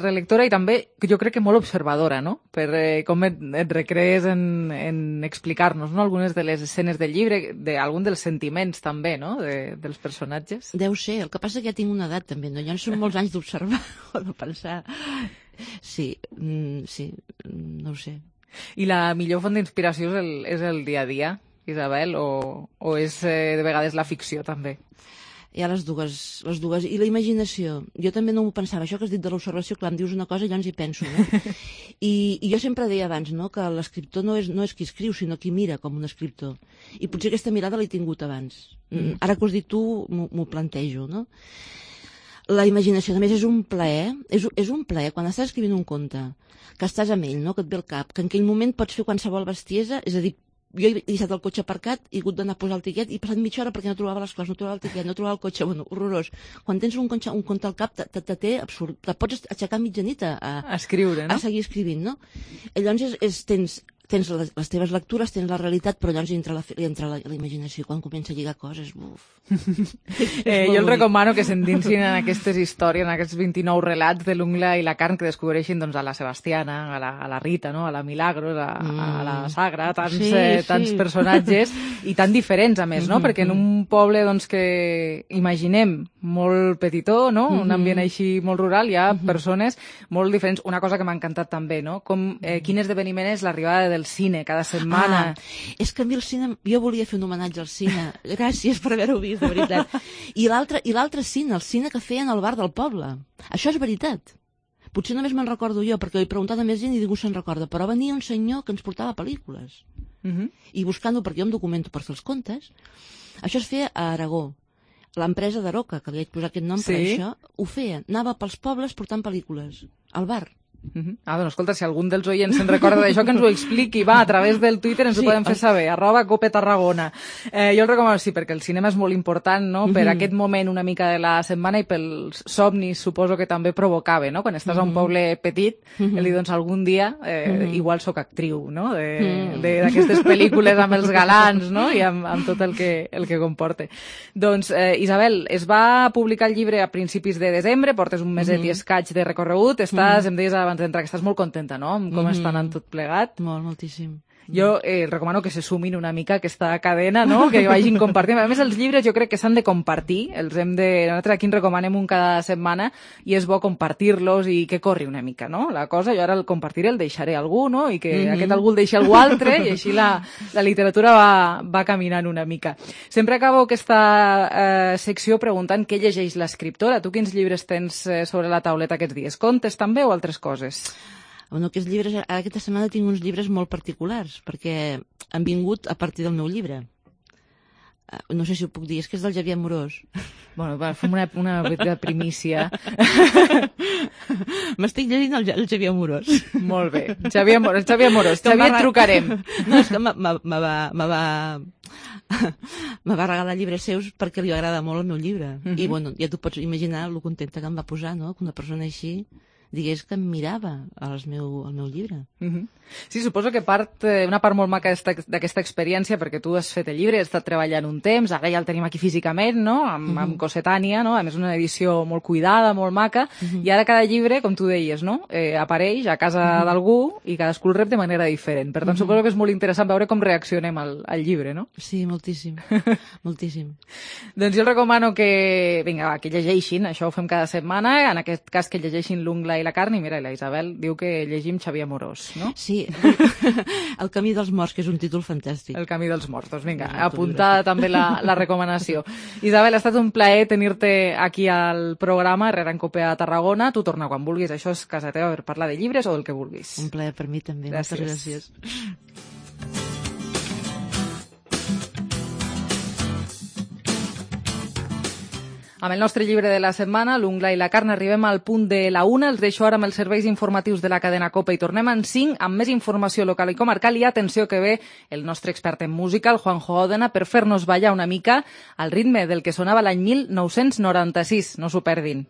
relectora i també, jo crec que molt observadora, no? Per com et recrees en explicar-nos, no?, algunes de les escenes del llibre, d'algun dels sentiments també, no?, dels personatges. Deu ser, el que passa que ja tinc una edat també, no? Ja no són molts anys d'observar o de pensar. Sí, no ho sé. I la millor font d'inspiració és el dia a dia, Isabel, o és de vegades la ficció també? Hi ha les dues. I la imaginació. Jo també no m'ho pensava. Això que has dit de l'observació, clar, em dius una cosa i llavors hi penso, no? I jo sempre deia abans, no?, que l'escriptor no és qui escriu, sinó qui mira com un escriptor. I potser aquesta mirada l'he tingut abans. Ara que ho has dit tu, m'ho plantejo, no? La imaginació, a més, és un plaer. És un plaer quan estàs escrivint un conte, que estàs amb ell, no?, que et ve al cap, que en aquell moment pots fer qualsevol bestiesa, és a dir, jo he deixat el cotxe aparcat, he hagut d'anar a posar el tiquet i he passat mitja hora perquè no trobava les coses, no trobava el tiquet, no trobava el cotxe, bueno, horrorós. Quan tens un conte al cap, te té absurd. Te pots aixecar mitjanit a escriure, no? A seguir escrivint, no? I llavors tens les teves lectures, tens la realitat, però llavors entra la imaginació quan comença a lligar coses. Uf. Jo els recomano que s'endinsin en aquestes històries, en aquests 29 relats de l'Ungla i la Carn, que descobreixin doncs, a la Sebastiana, a la Rita, no?, a la Milagros, a la Sagra, tants personatges i tan diferents, a més, no? Perquè en un poble doncs, que imaginem molt petitó, no?, un ambient així molt rural, hi ha persones molt diferents. Una cosa que m'ha encantat també, no?, quin esdeveniment és l'arribada del cine cada setmana. És que a mi el cine, jo volia fer un homenatge al cine. Gràcies per haver-ho vist, de veritat. I l'altre cine, el cine que feien al bar del poble. Això és veritat. Potser només me'n recordo jo, perquè ho he preguntat a més gent i ningú se'n recorda, però venia un senyor que ens portava pel·lícules. I buscant-ho, perquè jo em documento per fer els contes, això es feia a Aragó. L'empresa d'Aroca, que li vaig posar aquest nom per això, ho feia. Anava pels pobles portant pel·lícules, al bar. Doncs escolta, si algun dels oients se'n recorda d'això, que ens ho expliqui, va, a través del Twitter ens ho podem fer saber, @copetarragona. Jo el recomano, sí, perquè el cinema és molt important, no?, per aquest moment una mica de la setmana i pels somnis, suposo que també provocava, no?, quan estàs a un poble petit, el dir, doncs algun dia igual sóc actriu, no?, d'aquestes pel·lícules amb els galants, no?, i amb tot el que comporta. Doncs, Isabel, es va publicar el llibre a principis de desembre, portes un meset i escaig de recorregut, em deies abans d'entrar que estàs molt contenta, no?, amb com està anant tot plegat. Moltíssim. Jo recomano que se sumin una mica a aquesta cadena, no?, que vagin compartint. A més, els llibres jo crec que s'han de compartir, nosaltres aquí en recomanem un cada setmana i és bo compartir-los i que corri una mica, no?, la cosa. Jo ara el compartiré, el deixaré a algú, no?, i que aquest algú el deixi a algú altre i així la literatura va caminant una mica. Sempre acabo aquesta secció preguntant què llegeix l'escriptora. Tu quins llibres tens sobre la tauleta aquests dies? Contes també o altres coses? Bueno, aquests llibres, aquesta setmana tinc uns llibres molt particulars, perquè han vingut a partir del meu llibre. No sé si ho puc dir, és que és del Xavier Amorós. Bueno, va, fem una primícia. M'estic llegint el Xavier Amorós. Molt bé, Xavier Amorós. Xavier, et trucarem. No, és que me va regalar llibres seus perquè li agrada molt el meu llibre. I bueno, ja t'ho pots imaginar lo contenta que em va posar, no?, que una persona així digués que em mirava al meu llibre. Sí, suposo que una part molt maca d'aquesta experiència, perquè tu has fet el llibre, has estat treballant un temps, ara ja el tenim aquí físicament, no?, amb Cossetània, no?, a més una edició molt cuidada, molt maca, i ara cada llibre, com tu deies, no?, apareix a casa d'algú i cadascú el rep de manera diferent. Per tant, suposo que és molt interessant veure com reaccionem al llibre, no? Sí, moltíssim. Moltíssim. Doncs jo recomano que llegeixin, això ho fem cada setmana, en aquest cas que llegeixin l'Ungla i la Carn, i mira, la Isabel diu que llegim Xavier Amorós, no? Sí, El camí dels morts, que és un títol fantàstic. El camí dels morts, doncs vinga, apuntada també la recomanació. Isabel, ha estat un plaer tenir-te aquí al programa Herrera en Cope a Tarragona. Tu torna quan vulguis, això és casa teva per parlar de llibres o del que vulguis. Un plaer per mi també, moltes gràcies. Amb el nostre llibre de la setmana, l'Ungla i la carn, arribem al punt de la 1. Els deixo ara amb els serveis informatius de la cadena COPE i tornem en 5 amb més informació local i comarcal. I atenció que ve el nostre expert en música, el Juanjo Òdena, per fer-nos ballar una mica al ritme del que sonava l'any 1996. No s'ho perdin.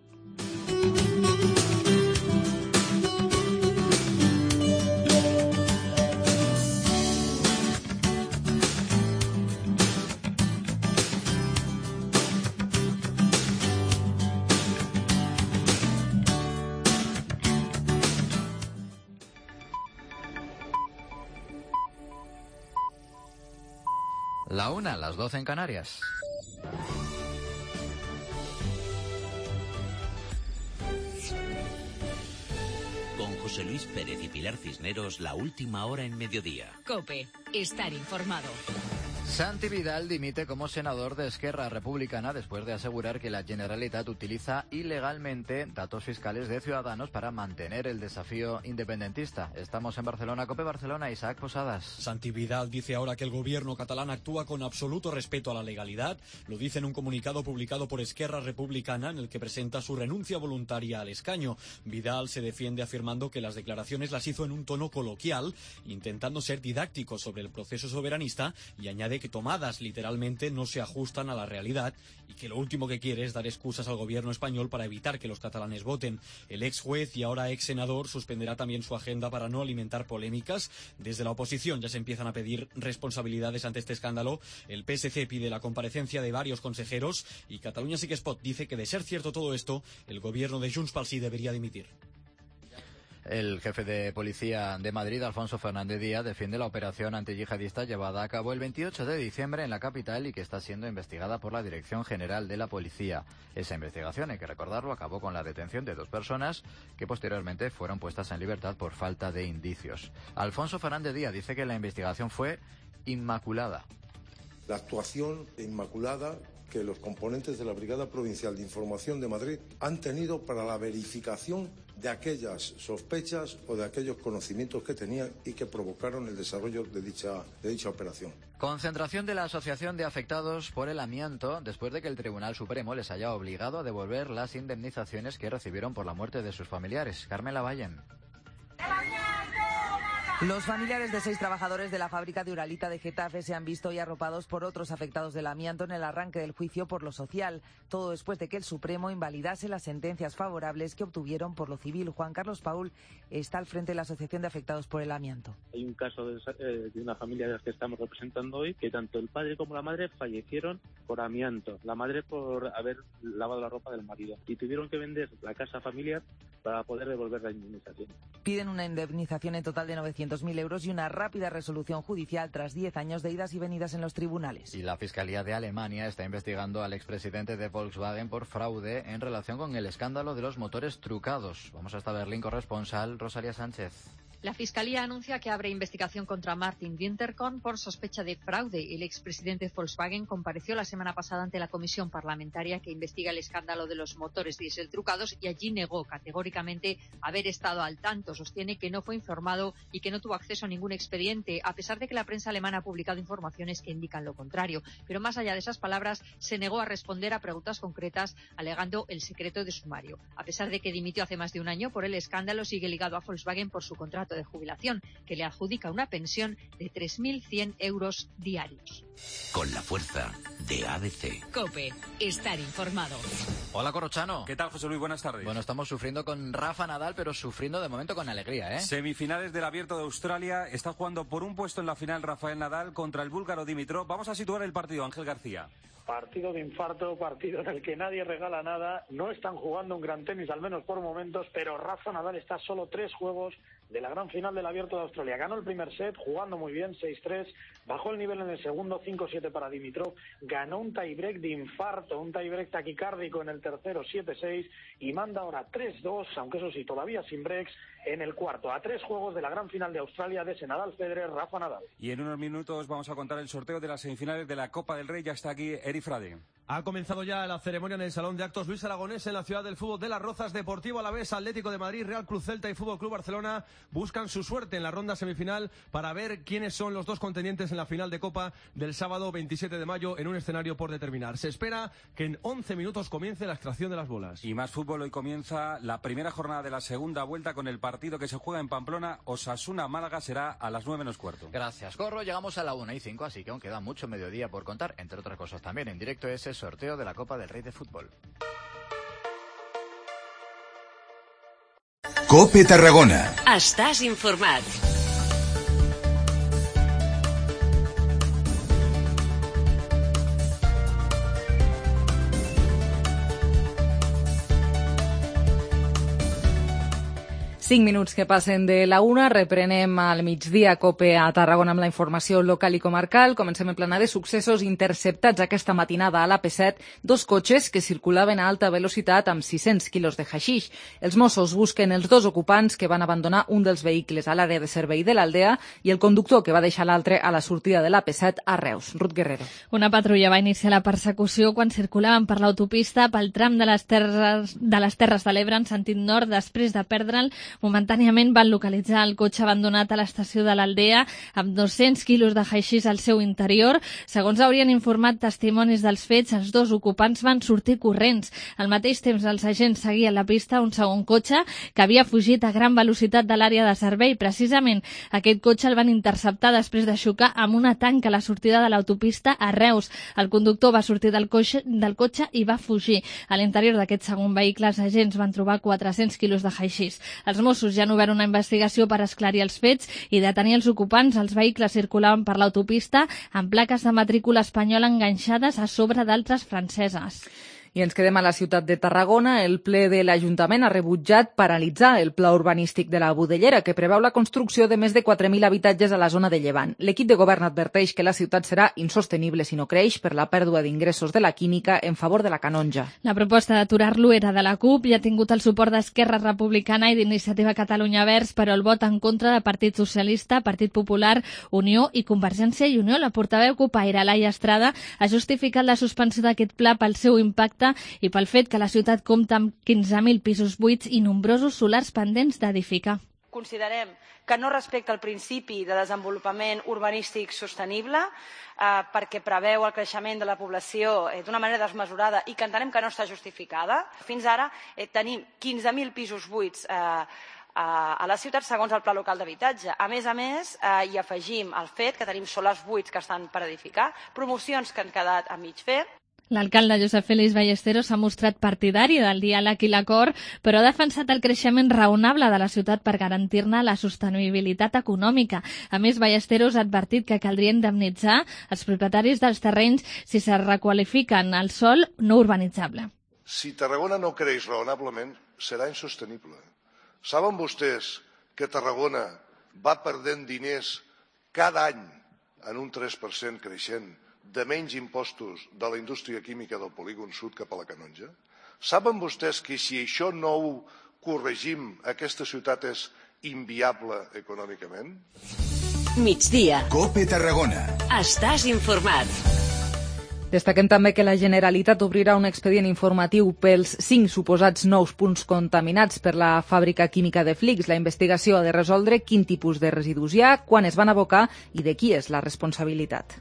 La 1, las 12 en Canarias. Con José Luis Pérez y Pilar Cisneros, la última hora en mediodía. COPE, estar informado. Santi Vidal dimite como senador de Esquerra Republicana después de asegurar que la Generalitat utiliza ilegalmente datos fiscales de Ciudadanos para mantener el desafío independentista. Estamos en Barcelona, COPE Barcelona, Isaac Posadas. Santi Vidal dice ahora que el gobierno catalán actúa con absoluto respeto a la legalidad. Lo dice en un comunicado publicado por Esquerra Republicana en el que presenta su renuncia voluntaria al escaño. Vidal se defiende afirmando que las declaraciones las hizo en un tono coloquial, intentando ser didáctico sobre el proceso soberanista, y añade que tomadas literalmente no se ajustan a la realidad y que lo último que quiere es dar excusas al gobierno español para evitar que los catalanes voten. El ex juez y ahora ex senador suspenderá también su agenda para no alimentar polémicas. Desde la oposición ya se empiezan a pedir responsabilidades ante este escándalo. El PSC pide la comparecencia de varios consejeros y Catalunya Sí que es Pot dice que, de ser cierto todo esto, el gobierno de Junts pel Sí debería dimitir. El jefe de policía de Madrid, Alfonso Fernández Díaz, defiende la operación antiyihadista llevada a cabo el 28 de diciembre en la capital y que está siendo investigada por la Dirección General de la Policía. Esa investigación, hay que recordarlo, acabó con la detención de 2 personas que posteriormente fueron puestas en libertad por falta de indicios. Alfonso Fernández Díaz dice que la investigación fue inmaculada. La actuación inmaculada que los componentes de la Brigada Provincial de Información de Madrid han tenido para la verificación de aquellas sospechas o de aquellos conocimientos que tenían y que provocaron el desarrollo de dicha operación. Concentración de la Asociación de Afectados por el Amianto después de que el Tribunal Supremo les haya obligado a devolver las indemnizaciones que recibieron por la muerte de sus familiares. Carmen Lavallen. Los familiares de 6 trabajadores de la fábrica de Uralita de Getafe se han visto hoy arropados por otros afectados del amianto en el arranque del juicio por lo social. Todo después de que el Supremo invalidase las sentencias favorables que obtuvieron por lo civil. Juan Carlos Paul está al frente de la Asociación de Afectados por el Amianto. Hay un caso de una familia de las que estamos representando hoy, que tanto el padre como la madre fallecieron por amianto. La madre por haber lavado la ropa del marido. Y tuvieron que vender la casa familiar para poder devolver la indemnización. Piden una indemnización en total de 900.000 euros y una rápida resolución judicial tras 10 años de idas y venidas en los tribunales. Y la Fiscalía de Alemania está investigando al expresidente de Volkswagen por fraude en relación con el escándalo de los motores trucados. Vamos hasta Berlín, corresponsal Rosalía Sánchez. La Fiscalía anuncia que abre investigación contra Martin Winterkorn por sospecha de fraude. El expresidente de Volkswagen compareció la semana pasada ante la comisión parlamentaria que investiga el escándalo de los motores diésel trucados y allí negó categóricamente haber estado al tanto. Sostiene que no fue informado y que no tuvo acceso a ningún expediente, a pesar de que la prensa alemana ha publicado informaciones que indican lo contrario. Pero más allá de esas palabras, se negó a responder a preguntas concretas, alegando el secreto de sumario. A pesar de que dimitió hace más de un año por el escándalo, sigue ligado a Volkswagen por su contrato de jubilación, que le adjudica una pensión de 3.100 euros diarios. Con la fuerza de ABC. COPE, estar informado. Hola, Corrochano. ¿Qué tal, José Luis? Buenas tardes. Bueno, estamos sufriendo con Rafa Nadal, pero sufriendo de momento con alegría, ¿eh? Semifinales del Abierto de Australia. Está jugando por un puesto en la final Rafael Nadal contra el búlgaro Dimitrov. Vamos a situar el partido, Ángel García. Partido de infarto, partido en el que nadie regala nada. No están jugando un gran tenis, al menos por momentos, pero Rafa Nadal está a solo 3 juegos de la gran final del Abierto de Australia. Ganó el primer set, jugando muy bien, 6-3. Bajó el nivel en el segundo, 5-7 para Dimitrov. Ganó un tiebreak de infarto, un tiebreak taquicárdico en el tercero, 7-6. Y manda ahora 3-2, aunque eso sí, todavía sin breaks, en el cuarto. A 3 juegos de la gran final de Australia de ese Nadal Federer, Rafa Nadal. Y en unos minutos vamos a contar el sorteo de las semifinales de la Copa del Rey. Ya está aquí Eri Frade. Ha comenzado ya la ceremonia en el Salón de Actos Luis Aragonés en la ciudad del fútbol de Las Rozas. Deportivo Alavés, Atlético de Madrid, Real Cruz Celta y Fútbol Club Barcelona buscan su suerte en la ronda semifinal para ver quiénes son los dos contendientes en la final de Copa del sábado 27 de mayo en un escenario por determinar. Se espera que en 11 minutos comience la extracción de las bolas. Y más fútbol, hoy comienza la primera jornada de la segunda vuelta con el partido que se juega en Pamplona. Osasuna-Málaga será a las 9 menos cuarto. Gracias, Corro. Llegamos a la 1:05, así que aún queda mucho mediodía por contar, entre otras cosas también en directo ese sorteo de la Copa del Rey de Fútbol. COPE Tarragona. Estàs informat. Cinc minuts que passen de la una, reprenem al migdia COPE a Tarragona amb la informació local i comarcal. Comencem en plana de successos interceptats aquesta matinada a l'AP7, dos cotxes que circulaven a alta velocitat amb 600 quilos de haixix. Els Mossos busquen els dos ocupants que van abandonar un dels vehicles a l'àrea de servei de l'Aldea i el conductor que va deixar l'altre a la sortida de l'AP7 a Reus. Ruth Guerrero. Una patrulla va iniciar la persecució quan circulaven per l'autopista pel tram de les Terres de l'Ebre en sentit nord. Després de perdre'l, momentàniament van localitzar el cotxe abandonat a l'estació de l'Aldea amb 200 quilos de haixís al seu interior. Segons haurien informat testimonis dels fets, els dos ocupants van sortir corrents. Al mateix temps, els agents seguien la pista un segon cotxe que havia fugit a gran velocitat de l'àrea de servei. Precisament aquest cotxe el van interceptar després de xocar amb una tanca a la sortida de l'autopista a Reus. El conductor va sortir del cotxe i va fugir. A l'interior d'aquest segon vehicle, els agents van trobar 400 quilos de haixís. Els Mossos ja han obert una investigació per esclarir els fets i detenir els ocupants. Els vehicles circulaven per l'autopista amb plaques de matrícula espanyola enganxades a sobre d'altres franceses. I ens quedem a la ciutat de Tarragona. El ple de l'Ajuntament ha rebutjat paralitzar el pla urbanístic de la Budellera, que preveu la construcció de més de 4.000 habitatges a la zona de Llevant. L'equip de govern adverteix que la ciutat serà insostenible si no creix per la pèrdua d'ingressos de la química en favor de la canonja. La proposta d'aturar-lo era de la CUP i ha tingut el suport d'Esquerra Republicana i d'Iniciativa Catalunya Verds, però el vot en contra de Partit Socialista, Partit Popular, Unió i Convergència i Unió. La portaveu cupaire, Laia Estrada, ha justificat la suspensió d'aquest pla pel seu impacte i pel fet que la ciutat compta amb 15.000 pisos buits i nombrosos solars pendents d'edificar. Considerem que no respecta el principi de desenvolupament urbanístic sostenible perquè preveu el creixement de la població d'una manera desmesurada i que entenem que no està justificada. Fins ara tenim 15.000 pisos buits a la ciutat segons el Pla Local d'Habitatge. A més, hi afegim el fet que tenim solars buits que estan per edificar, promocions que han quedat a mig fer. L'alcalde Josep Félix Ballesteros s'ha mostrat partidari del diàleg i l'acord, però ha defensat el creixement raonable de la ciutat per garantir-ne la sostenibilitat econòmica. A més, Ballesteros ha advertit que caldria indemnitzar els propietaris dels terrenys si se requalifiquen el sòl no urbanitzable. Si Tarragona no creix raonablement, serà insostenible. Saben vostès que Tarragona va perdent diners cada any en un 3% creixent de menys impostos de la indústria química del polígon sud cap a la canonja? Saben vostès que si això no ho corregim, aquesta ciutat és inviable econòmicament? Migdia. COPE Tarragona. Estàs informat. Destaquem també que la Generalitat obrirà un expedient informatiu pels 5 suposats nous punts contaminats per la fàbrica química de Flix. La investigació ha de resoldre quin tipus de residus hi ha, quan es van abocar i de qui és la responsabilitat.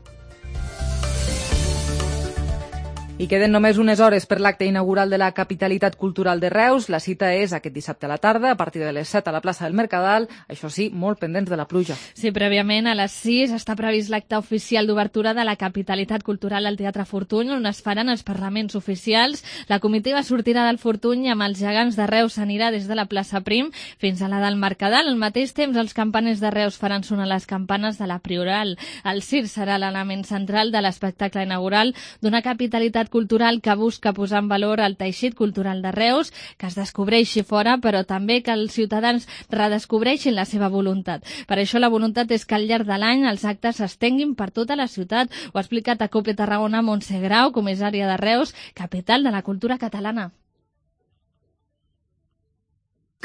I queden només unes hores per l'acte inaugural de la Capitalitat Cultural de Reus. La cita és aquest dissabte a la tarda, a partir de les 7 a la plaça del Mercadal. Això sí, molt pendents de la pluja. Sí, prèviament a les 6 està previst l'acte oficial d'obertura de la Capitalitat Cultural al Teatre Fortuny, on es faran els parlaments oficials. La comitiva sortirà del Fortuny amb els gegants de Reus, s'anirà des de la plaça Prim fins a la del Mercadal. Al mateix temps, els campaners de Reus faran sonar les campanes de la Prioral. El circ serà l'element central de l'espectacle inaugural d'una capitalitat cultural que busca posar en valor el teixit cultural de Reus, que es descobreixi fora, però també que els ciutadans redescobreixin la seva voluntat. Per això la voluntat és que al llarg de l'any els actes s'estenguin per tota la ciutat. Ho ha explicat a COPE Tarragona Montse Grau, comissària de Reus, capital de la cultura catalana.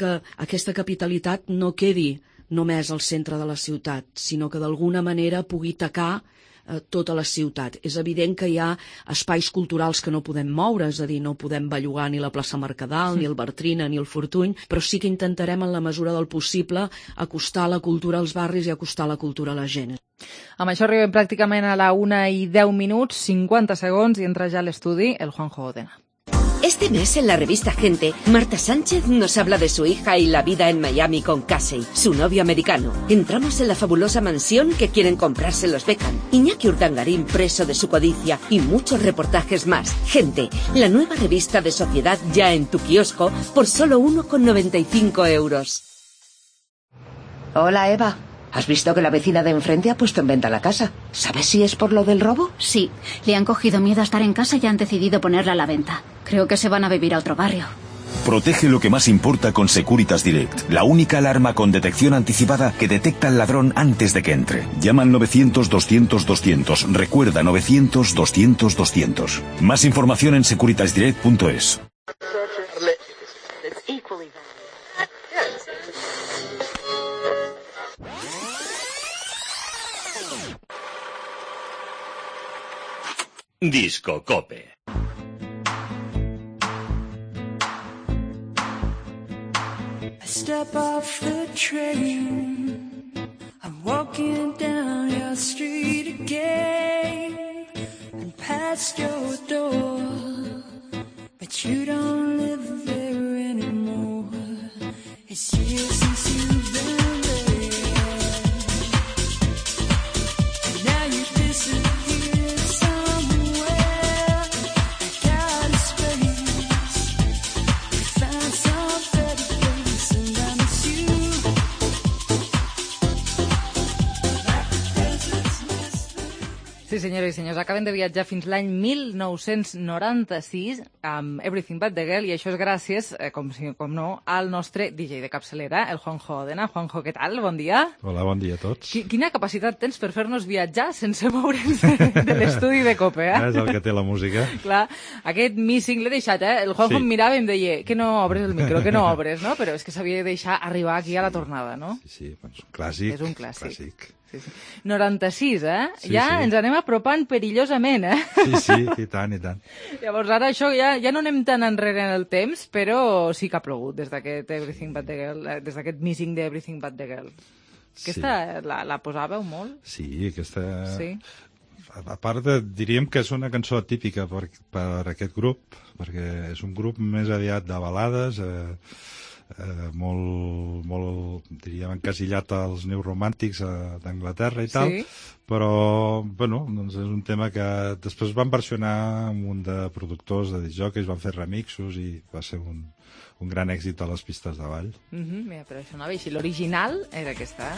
Que aquesta capitalitat no quedi només al centre de la ciutat, sinó que d'alguna manera pugui tacar tota la ciutat. És evident que hi ha espais culturals que no podem moure, és a dir, no podem bellugar ni la plaça Mercadal, ni el Bartrina, ni el Fortuny, però sí que intentarem en la mesura del possible acostar la cultura als barris i acostar la cultura a la gent. Amb això arribem pràcticament a la 1:10, 50 segons, i entra ja a l'estudi el Juanjo Odena. Este mes en la revista Gente, Marta Sánchez nos habla de su hija y la vida en Miami con Casey, su novio americano. Entramos en la fabulosa mansión que quieren comprarse los Beckham. Iñaki Urdangarín preso de su codicia y muchos reportajes más. Gente, la nueva revista de sociedad ya en tu kiosco por solo 1,95 €. Hola, Eva. ¿Has visto que la vecina de enfrente ha puesto en venta la casa? ¿Sabes si es por lo del robo? Sí, le han cogido miedo a estar en casa y han decidido ponerla a la venta. Creo que se van a vivir a otro barrio. Protege lo que más importa con Securitas Direct, la única alarma con detección anticipada que detecta al ladrón antes de que entre. Llama al 900-200-200. Recuerda, 900-200-200. Más información en securitasdirect.es. Disco Cope. I step off the train, I'm walking down your street again and past your door, but you don't live there anymore. It's years since you've been there, and now you disappeared somewhere. I got a space, we found some better place, and I miss you. Sí, senyores i senyors, acaben de viatjar fins l'any 1996 amb Everything But The Girl, i això és gràcies, com no, al nostre DJ de capçalera, el Juanjo Odena. Juanjo, què tal? Bon dia. Hola, bon dia a tots. Quina capacitat tens per fer-nos viatjar sense moure'ns de l'estudi de Cope, eh? És el que té la música. Clar, aquest missing l'he deixat, eh? El Juanjo em mirava i em deia que no obres el micro, que no obres, no? Però és que s'havia de deixar arribar aquí a la tornada, no? Sí, és un clàssic. És un clàssic. Sí, sí. 96, eh? Sí, ja sí. ens anem apropant perillosament, eh? Sí, i tant, i tant. Llavors ara això ja no anem tan enrere en el temps, però sí que ha plogut des d'aquest Everything But The Girl, des d'aquest missing d'Everything But The Girl. Aquesta la posàveu molt? Sí, aquesta... Sí. A part diríem que és una cançó típica per aquest grup, perquè és un grup més aviat de balades, molt, diríem, encasillat als neoromàntics d'Anglaterra i tal, sí. Però, bueno, doncs és un tema que després van versionar un munt de productors, de discjòqueis, van fer remixos i va ser un gran èxit a les pistes de ball. Mira, però això anava així. L'original era aquesta,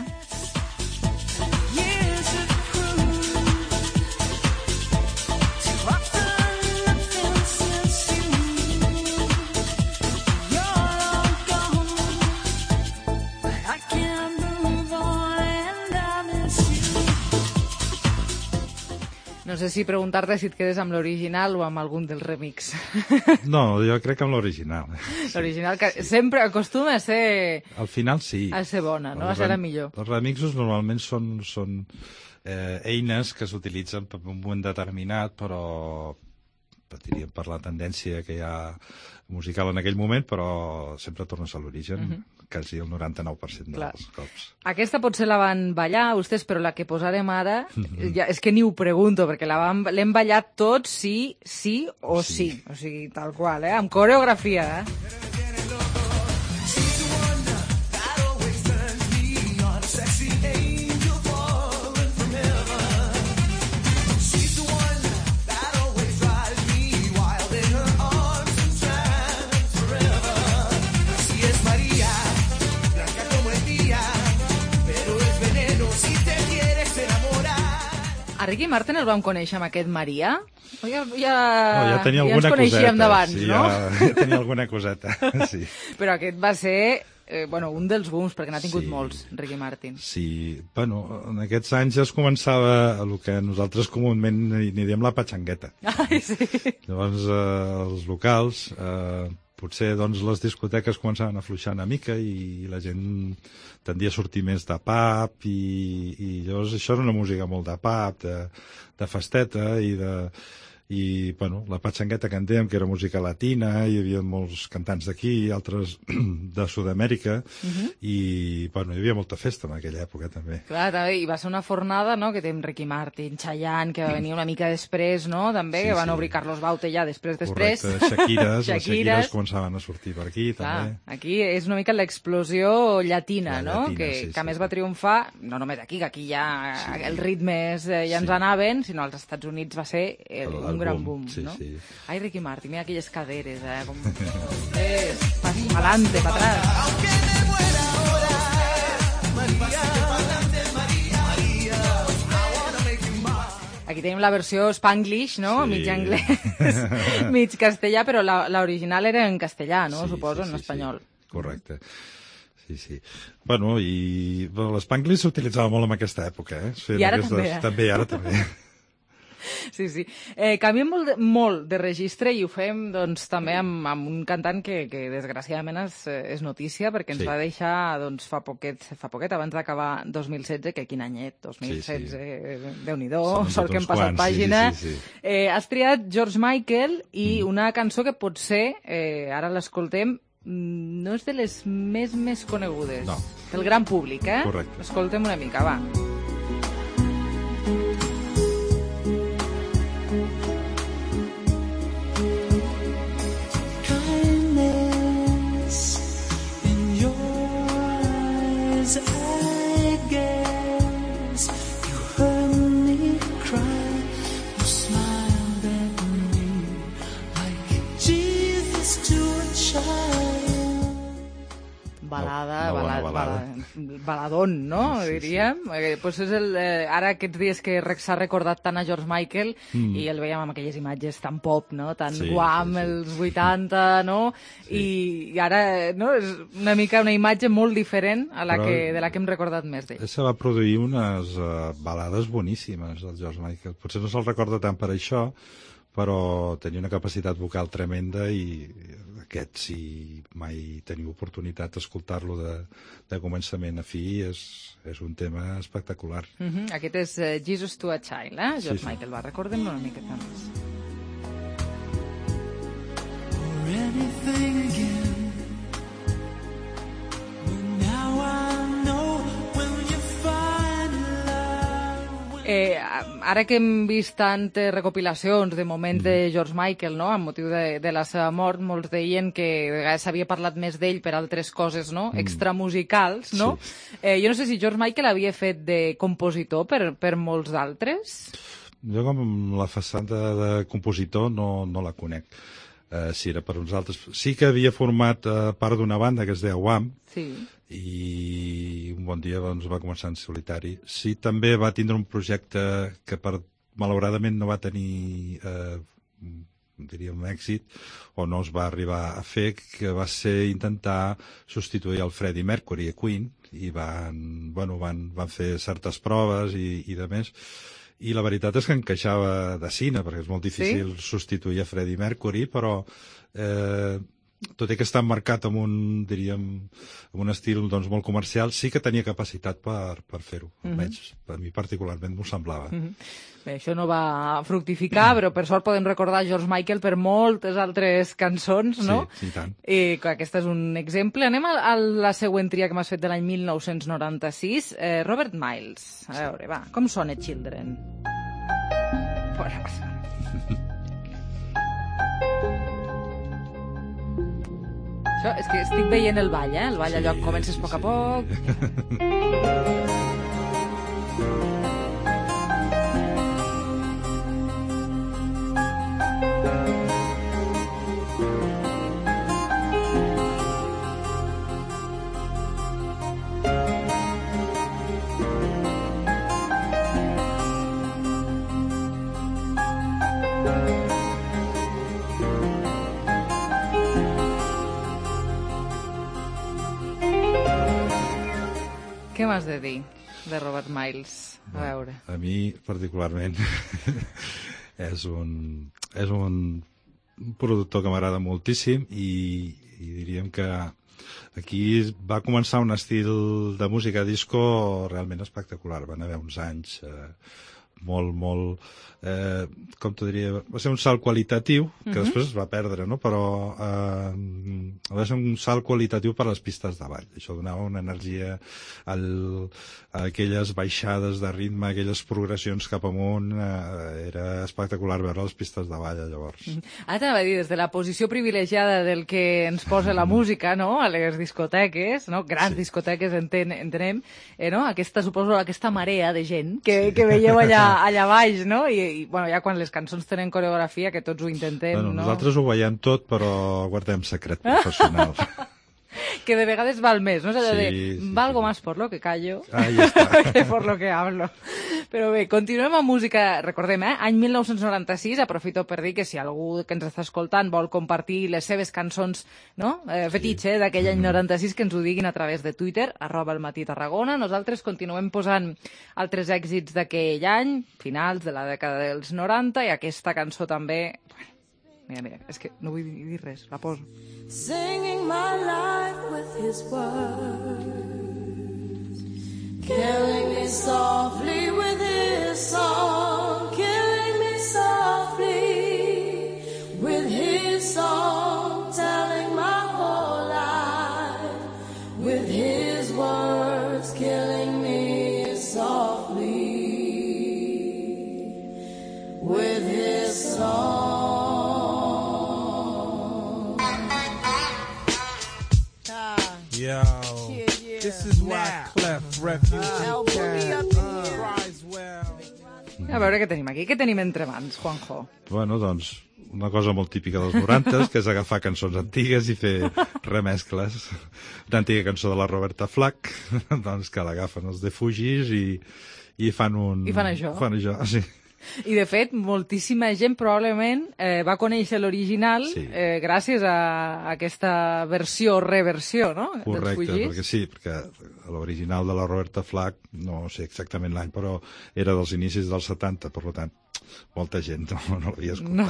No sé si preguntar-te si et quedes amb l'original o amb algun dels remix. No, jo crec que amb l'original. L'original, que sempre acostuma a ser... Al final sí. A ser bona, no? A ser la millor. Els remixos normalment són eines que s'utilitzen per un moment determinat, però diríem per la tendència que hi ha musical en aquell moment, però sempre tornes a l'origen, quasi el 99% dels cops. Aquesta potser la van ballar vostès, però la que posarem ara, és que ni ho pregunto, perquè l'hem ballat tots sí o sí. O sigui, tal qual, amb coreografia, Ricky Martin el vam conèixer amb aquest Maria? Ja tenia alguna ens coneixíem d'abans, sí, no? Ja tenia alguna coseta, sí. Però aquest va ser un dels booms, perquè n'ha tingut molts, Ricky Martin. Sí, bueno, en aquests anys ja es començava el que nosaltres comúment n'hi diem la patxangueta. Ai, sí. Llavors, els locals potser doncs, les discoteques començaven a afluixar una mica i la gent tendia a sortir més de pub i llavors això era una música molt de pub, de festeta i bueno, la patxangueta que en dèiem, que era música latina, hi havia molts cantants d'aquí, altres de Sud-amèrica, i bueno, hi havia molta festa en aquella època també. Clar, també, i va ser una fornada, no?, que tenim Ricky Martin, Chayanne, que va venir una mica després, no?, també, que van obrir Carlos Baute ja després. Correcte, les Shakiras començaven a sortir per aquí, també. Aquí és una mica l'explosió llatina, no?, llatina, que a més va triomfar, no només aquí, que aquí ja els ritmes ja ens anaven, sinó als Estats Units va ser un gran boom, no? Ai, Ricky Martin, mira aquelles caderes, com... Pa'lante, pa' atrás. Aquí tenim la versió Spanglish, no? Sí. Mig anglès, mig castellà, però l'original era en castellà, no? Suposo, en espanyol. Correcte. Sí. Bueno, i l'Spanglish s'utilitzava molt en aquesta època, eh? I ara també. També, ara també. Sí. Canviem molt de registre i ho fem doncs, també amb un cantant que desgraciadament és notícia perquè ens va deixar doncs, fa poquet, abans d'acabar 2016, que quin anyet, 2016, Déu-n'hi-do, sort que hem passat pàgina. Has triat George Michael i una cançó que potser, ara l'escoltem, no és de les més conegudes del gran públic, eh? Correcte. Escoltem una mica, va. Baladón, no? Diríem. Pues és ara aquests dies que s'ha recordat tant a George Michael i el veiem amb aquelles imatges tan pop, no? Tan guam, els 80, no? I ara no? És una mica una imatge molt diferent de la que hem recordat més d'ell. Se va produir unes balades boníssimes, el George Michael. Potser no se'l recorda tant per això, però tenia una capacitat vocal tremenda i aquest, si mai teniu oportunitat d'escoltar-lo de començament a fi, és un tema espectacular. Aquest és Jesus to a Child, eh? George Michael, va, recordem-lo una mica més. Ara que hem vist tantes recopilacions de moments de George Michael, no?, amb motiu de la seva mort, molts deien que a vegades s'havia parlat més d'ell per altres coses, no?, extramusicals, no? Jo no sé si George Michael havia fet de compositor per molts d'altres. Jo com la façana de compositor no la conec. Si era per uns altres... Sí que havia format part d'una banda que es deia Wham, i un bon dia doncs, va començar en solitari. Sí, també va tindre un projecte que malauradament no va tenir diríem èxit, o no es va arribar a fer, que va ser intentar substituir el Freddie Mercury a Queen, i van fer certes proves i de més, i la veritat és que encaixava de cine, perquè és molt difícil substituir a Freddie Mercury, però tot i que està emmarcat amb un estil doncs, molt comercial, sí que tenia capacitat per fer-ho. Almenys, a mi particularment m'ho semblava. Bé, això no va fructificar, però per sort podem recordar George Michael per moltes altres cançons, no? Sí, i tant. I aquest és un exemple. Anem a la següent tria que m'has fet de l'any 1996. Robert Miles. A veure, va, com sona Children? Fora, passa. Això és que estic veient el ball, eh? El ball allò comences a poc a poc. Què m'has de dir de Robert Miles? A veure. A mi, particularment, és un un productor que m'agrada moltíssim i diríem que aquí va començar un estil de música disco realment espectacular. Van haver uns anys molt, com t'ho diria, va ser un salt qualitatiu, que després es va perdre, no? Però va ser un salt qualitatiu per a les pistes de ball. Això donava una energia a aquelles baixades de ritme, aquelles progressions cap amunt, era espectacular veure les pistes de ball llavors. Ara t'anava a dir, des de la posició privilegiada del que ens posa la música, no?, a les discoteques, no?, grans discoteques, entenem, no?, suposo aquesta marea de gent que veieu allà baix, no?, i bueno, ja quan les cançons tenen coreografia, que tots ho intentem, bueno, no? Nosaltres ho veiem tot, però guardem secret professional. Que de vegades val més, no? És allò de, valgo más por lo que callo que por lo que hablo. Però bé, continuem amb música, recordem, any 1996, aprofito per dir que si algú que ens està escoltant vol compartir les seves cançons, no?, fetitxe d'aquell any 96, que ens ho diguin a través de Twitter, @elmatí_Tarragona. Nosaltres continuem posant altres èxits d'aquell any, finals de la dècada dels 90, i aquesta cançó també... Mira, és que no vull dir res, la poso. Singing my life with his words, killing me softly with his song, killing me softly with his song, telling my whole life with his words, killing me softly with his song. Yo, this is Wyclef Refuge. A veure què tenim aquí. Què tenim entre mans, Juanjo? Bueno, doncs, una cosa molt típica dels 90, que és agafar cançons antigues i fer remescles. Una antiga cançó de la Roberta Flack, doncs que l'agafen els de Fugis i fan un... I fan això. Fan això, sí. I, de fet, moltíssima gent probablement va conèixer l'original gràcies a aquesta versió o reversió, no? Correcte, perquè sí, perquè l'original de la Roberta Flack, no sé exactament l'any, però era dels inicis dels 70, per tant, molta gent no l'havia escoltat. No.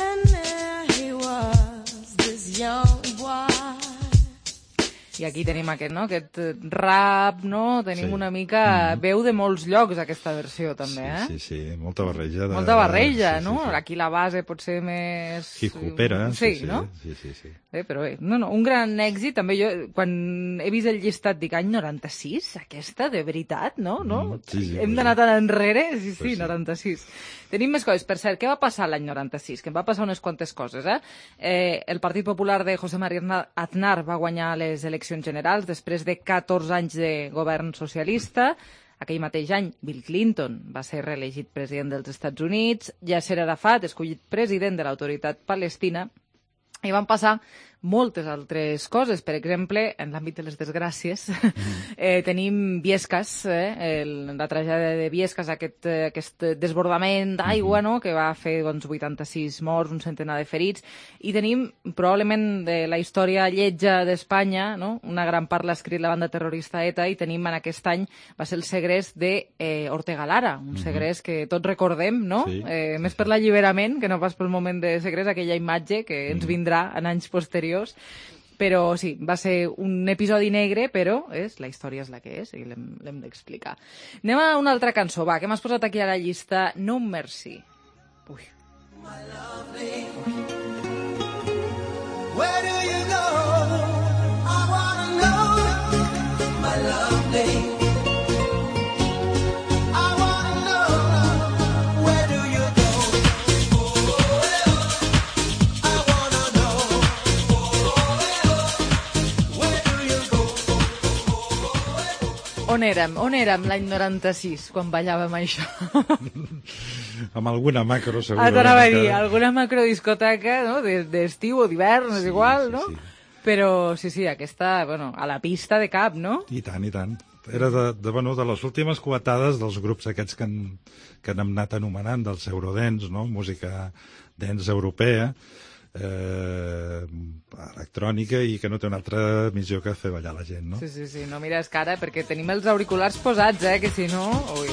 And there he was, this young boy. I aquí tenim aquest, no?, aquest rap, no? Tenim una mica veu de molts llocs, aquesta versió, també, Sí, molta barreja. Molta barreja, no? Aquí la base pot ser més... Hip-hopera. Sí, no? Sí. Però bé, un gran èxit. També jo, quan he vist el llistat, dic, any 96, aquesta, de veritat, no? Hem d'anar tan enrere? Sí, 96. Tenim més coses. Per cert, què va passar l'any 96? Que em va passar unes quantes coses, El Partit Popular de José María Aznar va guanyar les eleccions generals després de 14 anys de govern socialista. Aquell mateix any, Bill Clinton va ser reelegit president dels Estats Units, Yasser Arafat, escollit president de l'Autoritat Palestina, i van passar moltes altres coses. Per exemple, en l'àmbit de les desgràcies, tenim Biescas, la tragèdia de Biescas, aquest desbordament d'aigua, no?, que va fer 86 morts, un centenar de ferits, i tenim probablement de la història lletja d'Espanya, no?, una gran part l'ha escrit la banda terrorista ETA, i tenim en aquest any, va ser el segrest d'Ortega Lara, un segrest que tots recordem, no?, més per l'alliberament que no pas pel moment de segrest, aquella imatge que ens vindrà en anys posteriors. Però sí, va ser un episodi negre, però la història és la que és i l'hem d'explicar. Anem a una altra cançó, va, que m'has posat aquí a la llista, No Mercy. Ui. Where do you go? I wanna know, my lovely. On érem l'any 96, quan ballàvem això? Amb alguna macro, segurament. T'anava a dir, alguna macrodiscoteca, no?, d'estiu o d'hivern, és igual, no? Però sí, aquesta, a la pista de cap, no? I tant. Era de les últimes coetades dels grups aquests que han anat anomenant, dels eurodance, no?, música dance europea, electrònica, i que no té una altra missió que fer ballar la gent, no? Sí, no mires cara, perquè tenim els auriculars posats, que si no... Ui.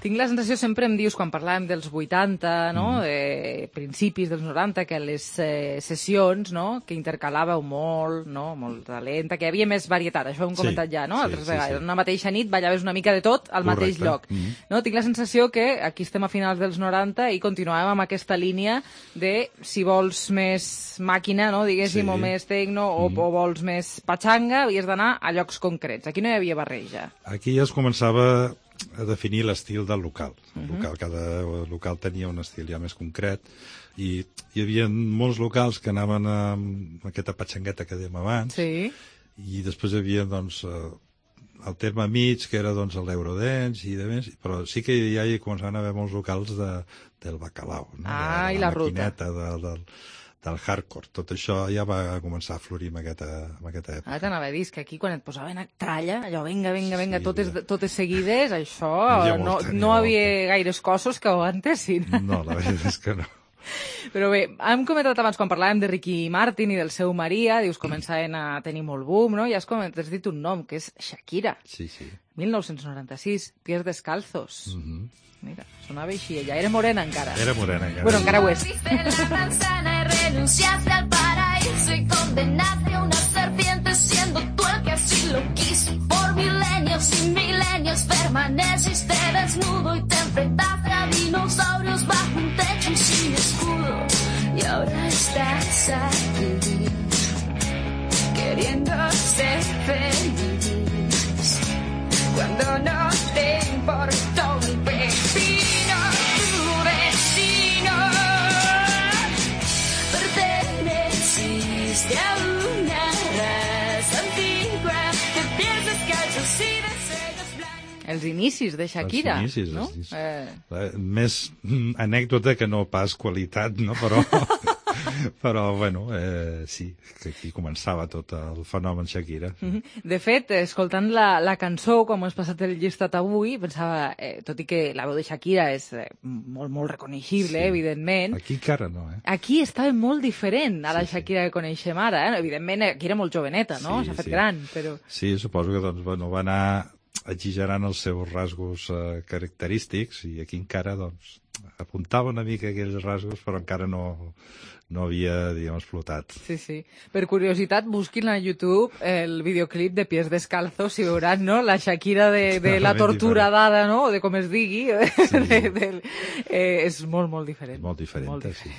Tinc la sensació, sempre em dius, quan parlàvem dels 80, no? Principis dels 90, que les sessions, no? Que intercalàveu molt, no? Molt lenta, que hi havia més varietat, això ho hem comentat ja, no? Altres vegades. En una mateixa nit ballaves una mica de tot al mateix lloc. No? Tinc la sensació que aquí estem a finals dels 90 i continuàvem amb aquesta línia de, si vols més màquina, no? Diguéssim, o més tecno, o vols més patxanga, havies d'anar a llocs concrets. Aquí no hi havia barreja. Aquí ja es començava a definir l'estil del local. Cada local tenia un estil ja més concret i hi havia molts locals que anaven amb aquesta patxangueta que dèiem abans i després hi havia doncs, el terme mig, que era doncs, l'Eurodance i de més, però sí que ja hi començaven a haver molts locals del bacalao, no? I la ruta. Del hardcore. Tot això ja va començar a florir en aquesta època. Ara t'anava a dir que aquí, quan et posaven a tralla, allò, vinga, totes seguides, això no havia gaires cossos que ho aguantessin. No, la veritat és que no. Però bé, hem comentat abans, quan parlàvem de Ricky Martin i del seu Maria, dius, començaven a tenir molt boom, no? I has dit un nom, que és Shakira. Sí. 1996, Pies Descalzos. Mira, sonava així, ella era morena encara. Bueno, encara ho és. Renunciaste al paraíso y condenaste a una serpiente siendo tú el que así lo quiso. Por milenios y milenios permaneciste desnudo y te enfrentaste a dinosaurios bajo un techo y sin escudo. Y ahora estás aquí, queriendo ser feliz, cuando no te importó un pepino tu vecino. Perteneciste a una raza antigua de pies descalzos y de cejas blancas. Els inicis de Shakira, no? Més anècdota que no pas qualitat, no? Però bueno, sí, que aquí començava tot el fenomen Shakira. De fet, escoltant la cançó, com has passat el llistat avui, pensava, tot i que la veu de Shakira és molt, molt reconeixible, evidentment. Aquí encara no, Aquí estava molt diferent a la Shakira que coneixem ara, Evidentment, aquí era molt joveneta, no? S'ha fet gran, però... Sí, suposo que doncs, bueno, va anar exagerant els seus rasgos característics i aquí encara, doncs, apuntava una mica aquells rasgos, però encara no havia, diguem, explotat. Sí. Per curiositat, busquin a YouTube el videoclip de Pies Descalzos i veuran, no?, la Shakira de la tortura dada, no?, o de com es digui. És molt, molt diferent. Molt diferent, sí.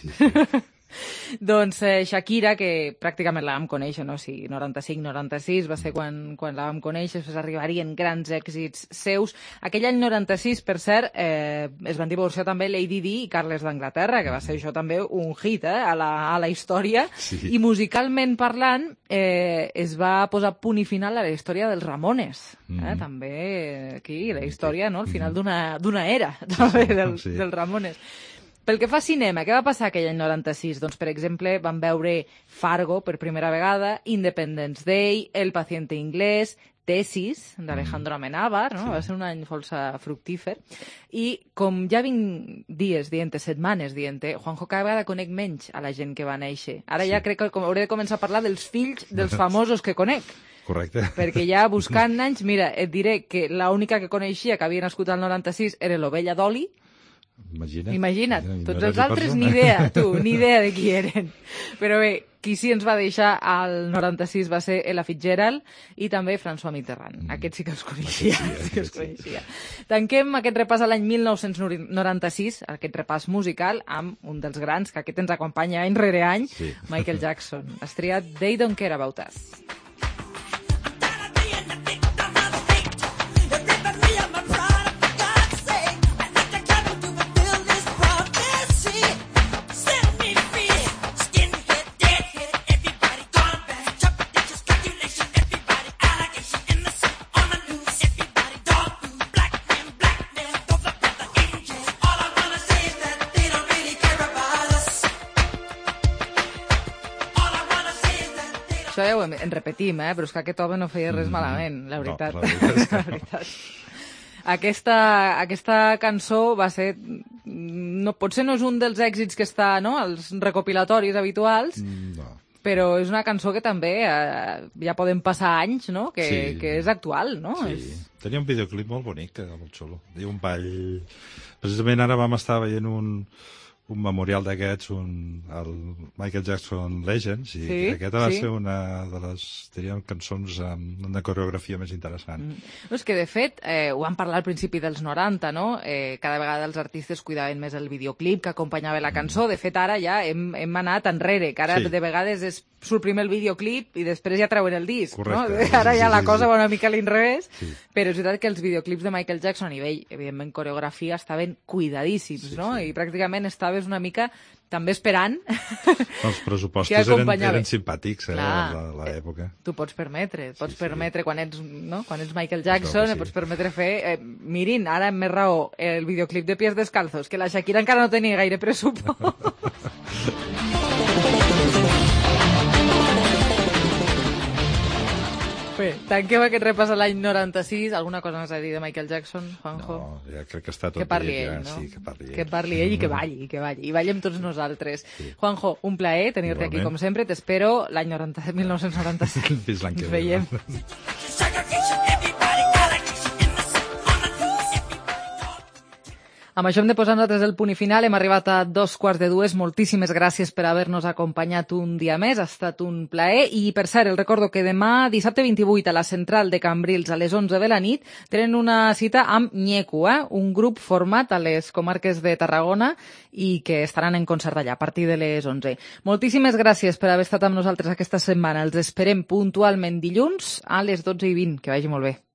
Doncs Shakira, que pràcticament la vam conèixer, no? Sí, 95-96 va ser quan la vam conèixer, després arribarien grans èxits seus. Aquell any 96, per cert, es van divorciar també Lady Di i Carles d'Anglaterra, que va ser això també un hit a la història, i musicalment parlant es va posar punt i final a la història dels Ramones. També aquí, la història, no? Al final d'una era també dels Ramones. Pel que fa a cinema, què va passar aquell any 96? Doncs, per exemple, vam veure Fargo per primera vegada, Independence Day, El paciente inglés, Tesis, d'Alejandro Amenábar, no? Va ser un any força fructífer. I com ja vinc setmanes dient, Juanjo, cada vegada conec menys a la gent que va néixer. Ara ja crec que hauré de començar a parlar dels fills dels famosos que conec. Correcte. Perquè ja buscant anys, mira, et diré que l'única que coneixia que havia nascut al 96 era l'ovella Dolly. Imagina't, tots els altres ni idea, ni idea de qui eren. Però bé, qui sí ens va deixar al 96 va ser Ella Fitzgerald i també François Mitterrand. Aquest sí que els coneixia. Tanquem aquest repàs a l'any 1996, aquest repàs musical, amb un dels grans, que aquest ens acompanya any rere any, Michael Jackson. Has triat They Don't Care About Us. Això ja en repetim, però és que aquest home no feia res malament, la veritat. No, la veritat. Aquesta cançó va ser... Potser no és un dels èxits que està als recopilatoris habituals, però és una cançó que també ja poden passar anys, no? Que és actual, no? Sí, tenia un videoclip molt bonic, molt xulo. Diu un ball... Precisament ara vam estar veient un memorial d'aquests, el Michael Jackson Legends, i aquesta va ser una de les, diríem, cançons amb una coreografia més interessant. No, és que, de fet, ho vam parlar al principi dels 90, no? Cada vegada els artistes cuidaven més el videoclip que acompanyava la cançó. De fet, ara ja hem anat enrere, que ara de vegades surt primer el videoclip i després ja treuen el disc. Correcte. No? Ara ja la cosa va una mica a l'inrevés, però és veritat que els videoclips de Michael Jackson a nivell, evidentment, coreografia, estaven cuidadíssims, no? I pràcticament estaves una mica també esperant. Els pressupostos eren simpàtics a l'època. Tu pots permetre, quan ets Michael Jackson, pots permetre fer... mirin, ara amb més raó, el videoclip de Pies Descalzos, que la Shakira encara no tenia gaire pressupost. Bé, tanquem aquest repàs a l'any 96. Alguna cosa més a dir de Michael Jackson, Juanjo? No, ja crec que està tot que parli dit. Ell, no? Sí, que parli ell. Que parli ell i que balli. I ballem tots nosaltres. Sí. Juanjo, un plaer tenir-te aquí, com sempre. T'espero l'any 1997. Fins l'any que ve. Ens veiem. Amb això hem de posar nosaltres el punt i final. Hem arribat a 2:45. Moltíssimes gràcies per haver-nos acompanyat un dia més. Ha estat un plaer. I, per cert, el recordo que demà, dissabte 28, a la central de Cambrils, a les 11 de la nit, tenen una cita amb Nyeku, un grup format a les comarques de Tarragona i que estaran en concert allà a partir de les 11. Moltíssimes gràcies per haver estat amb nosaltres aquesta setmana. Els esperem puntualment dilluns a les 12:20. Que vagi molt bé.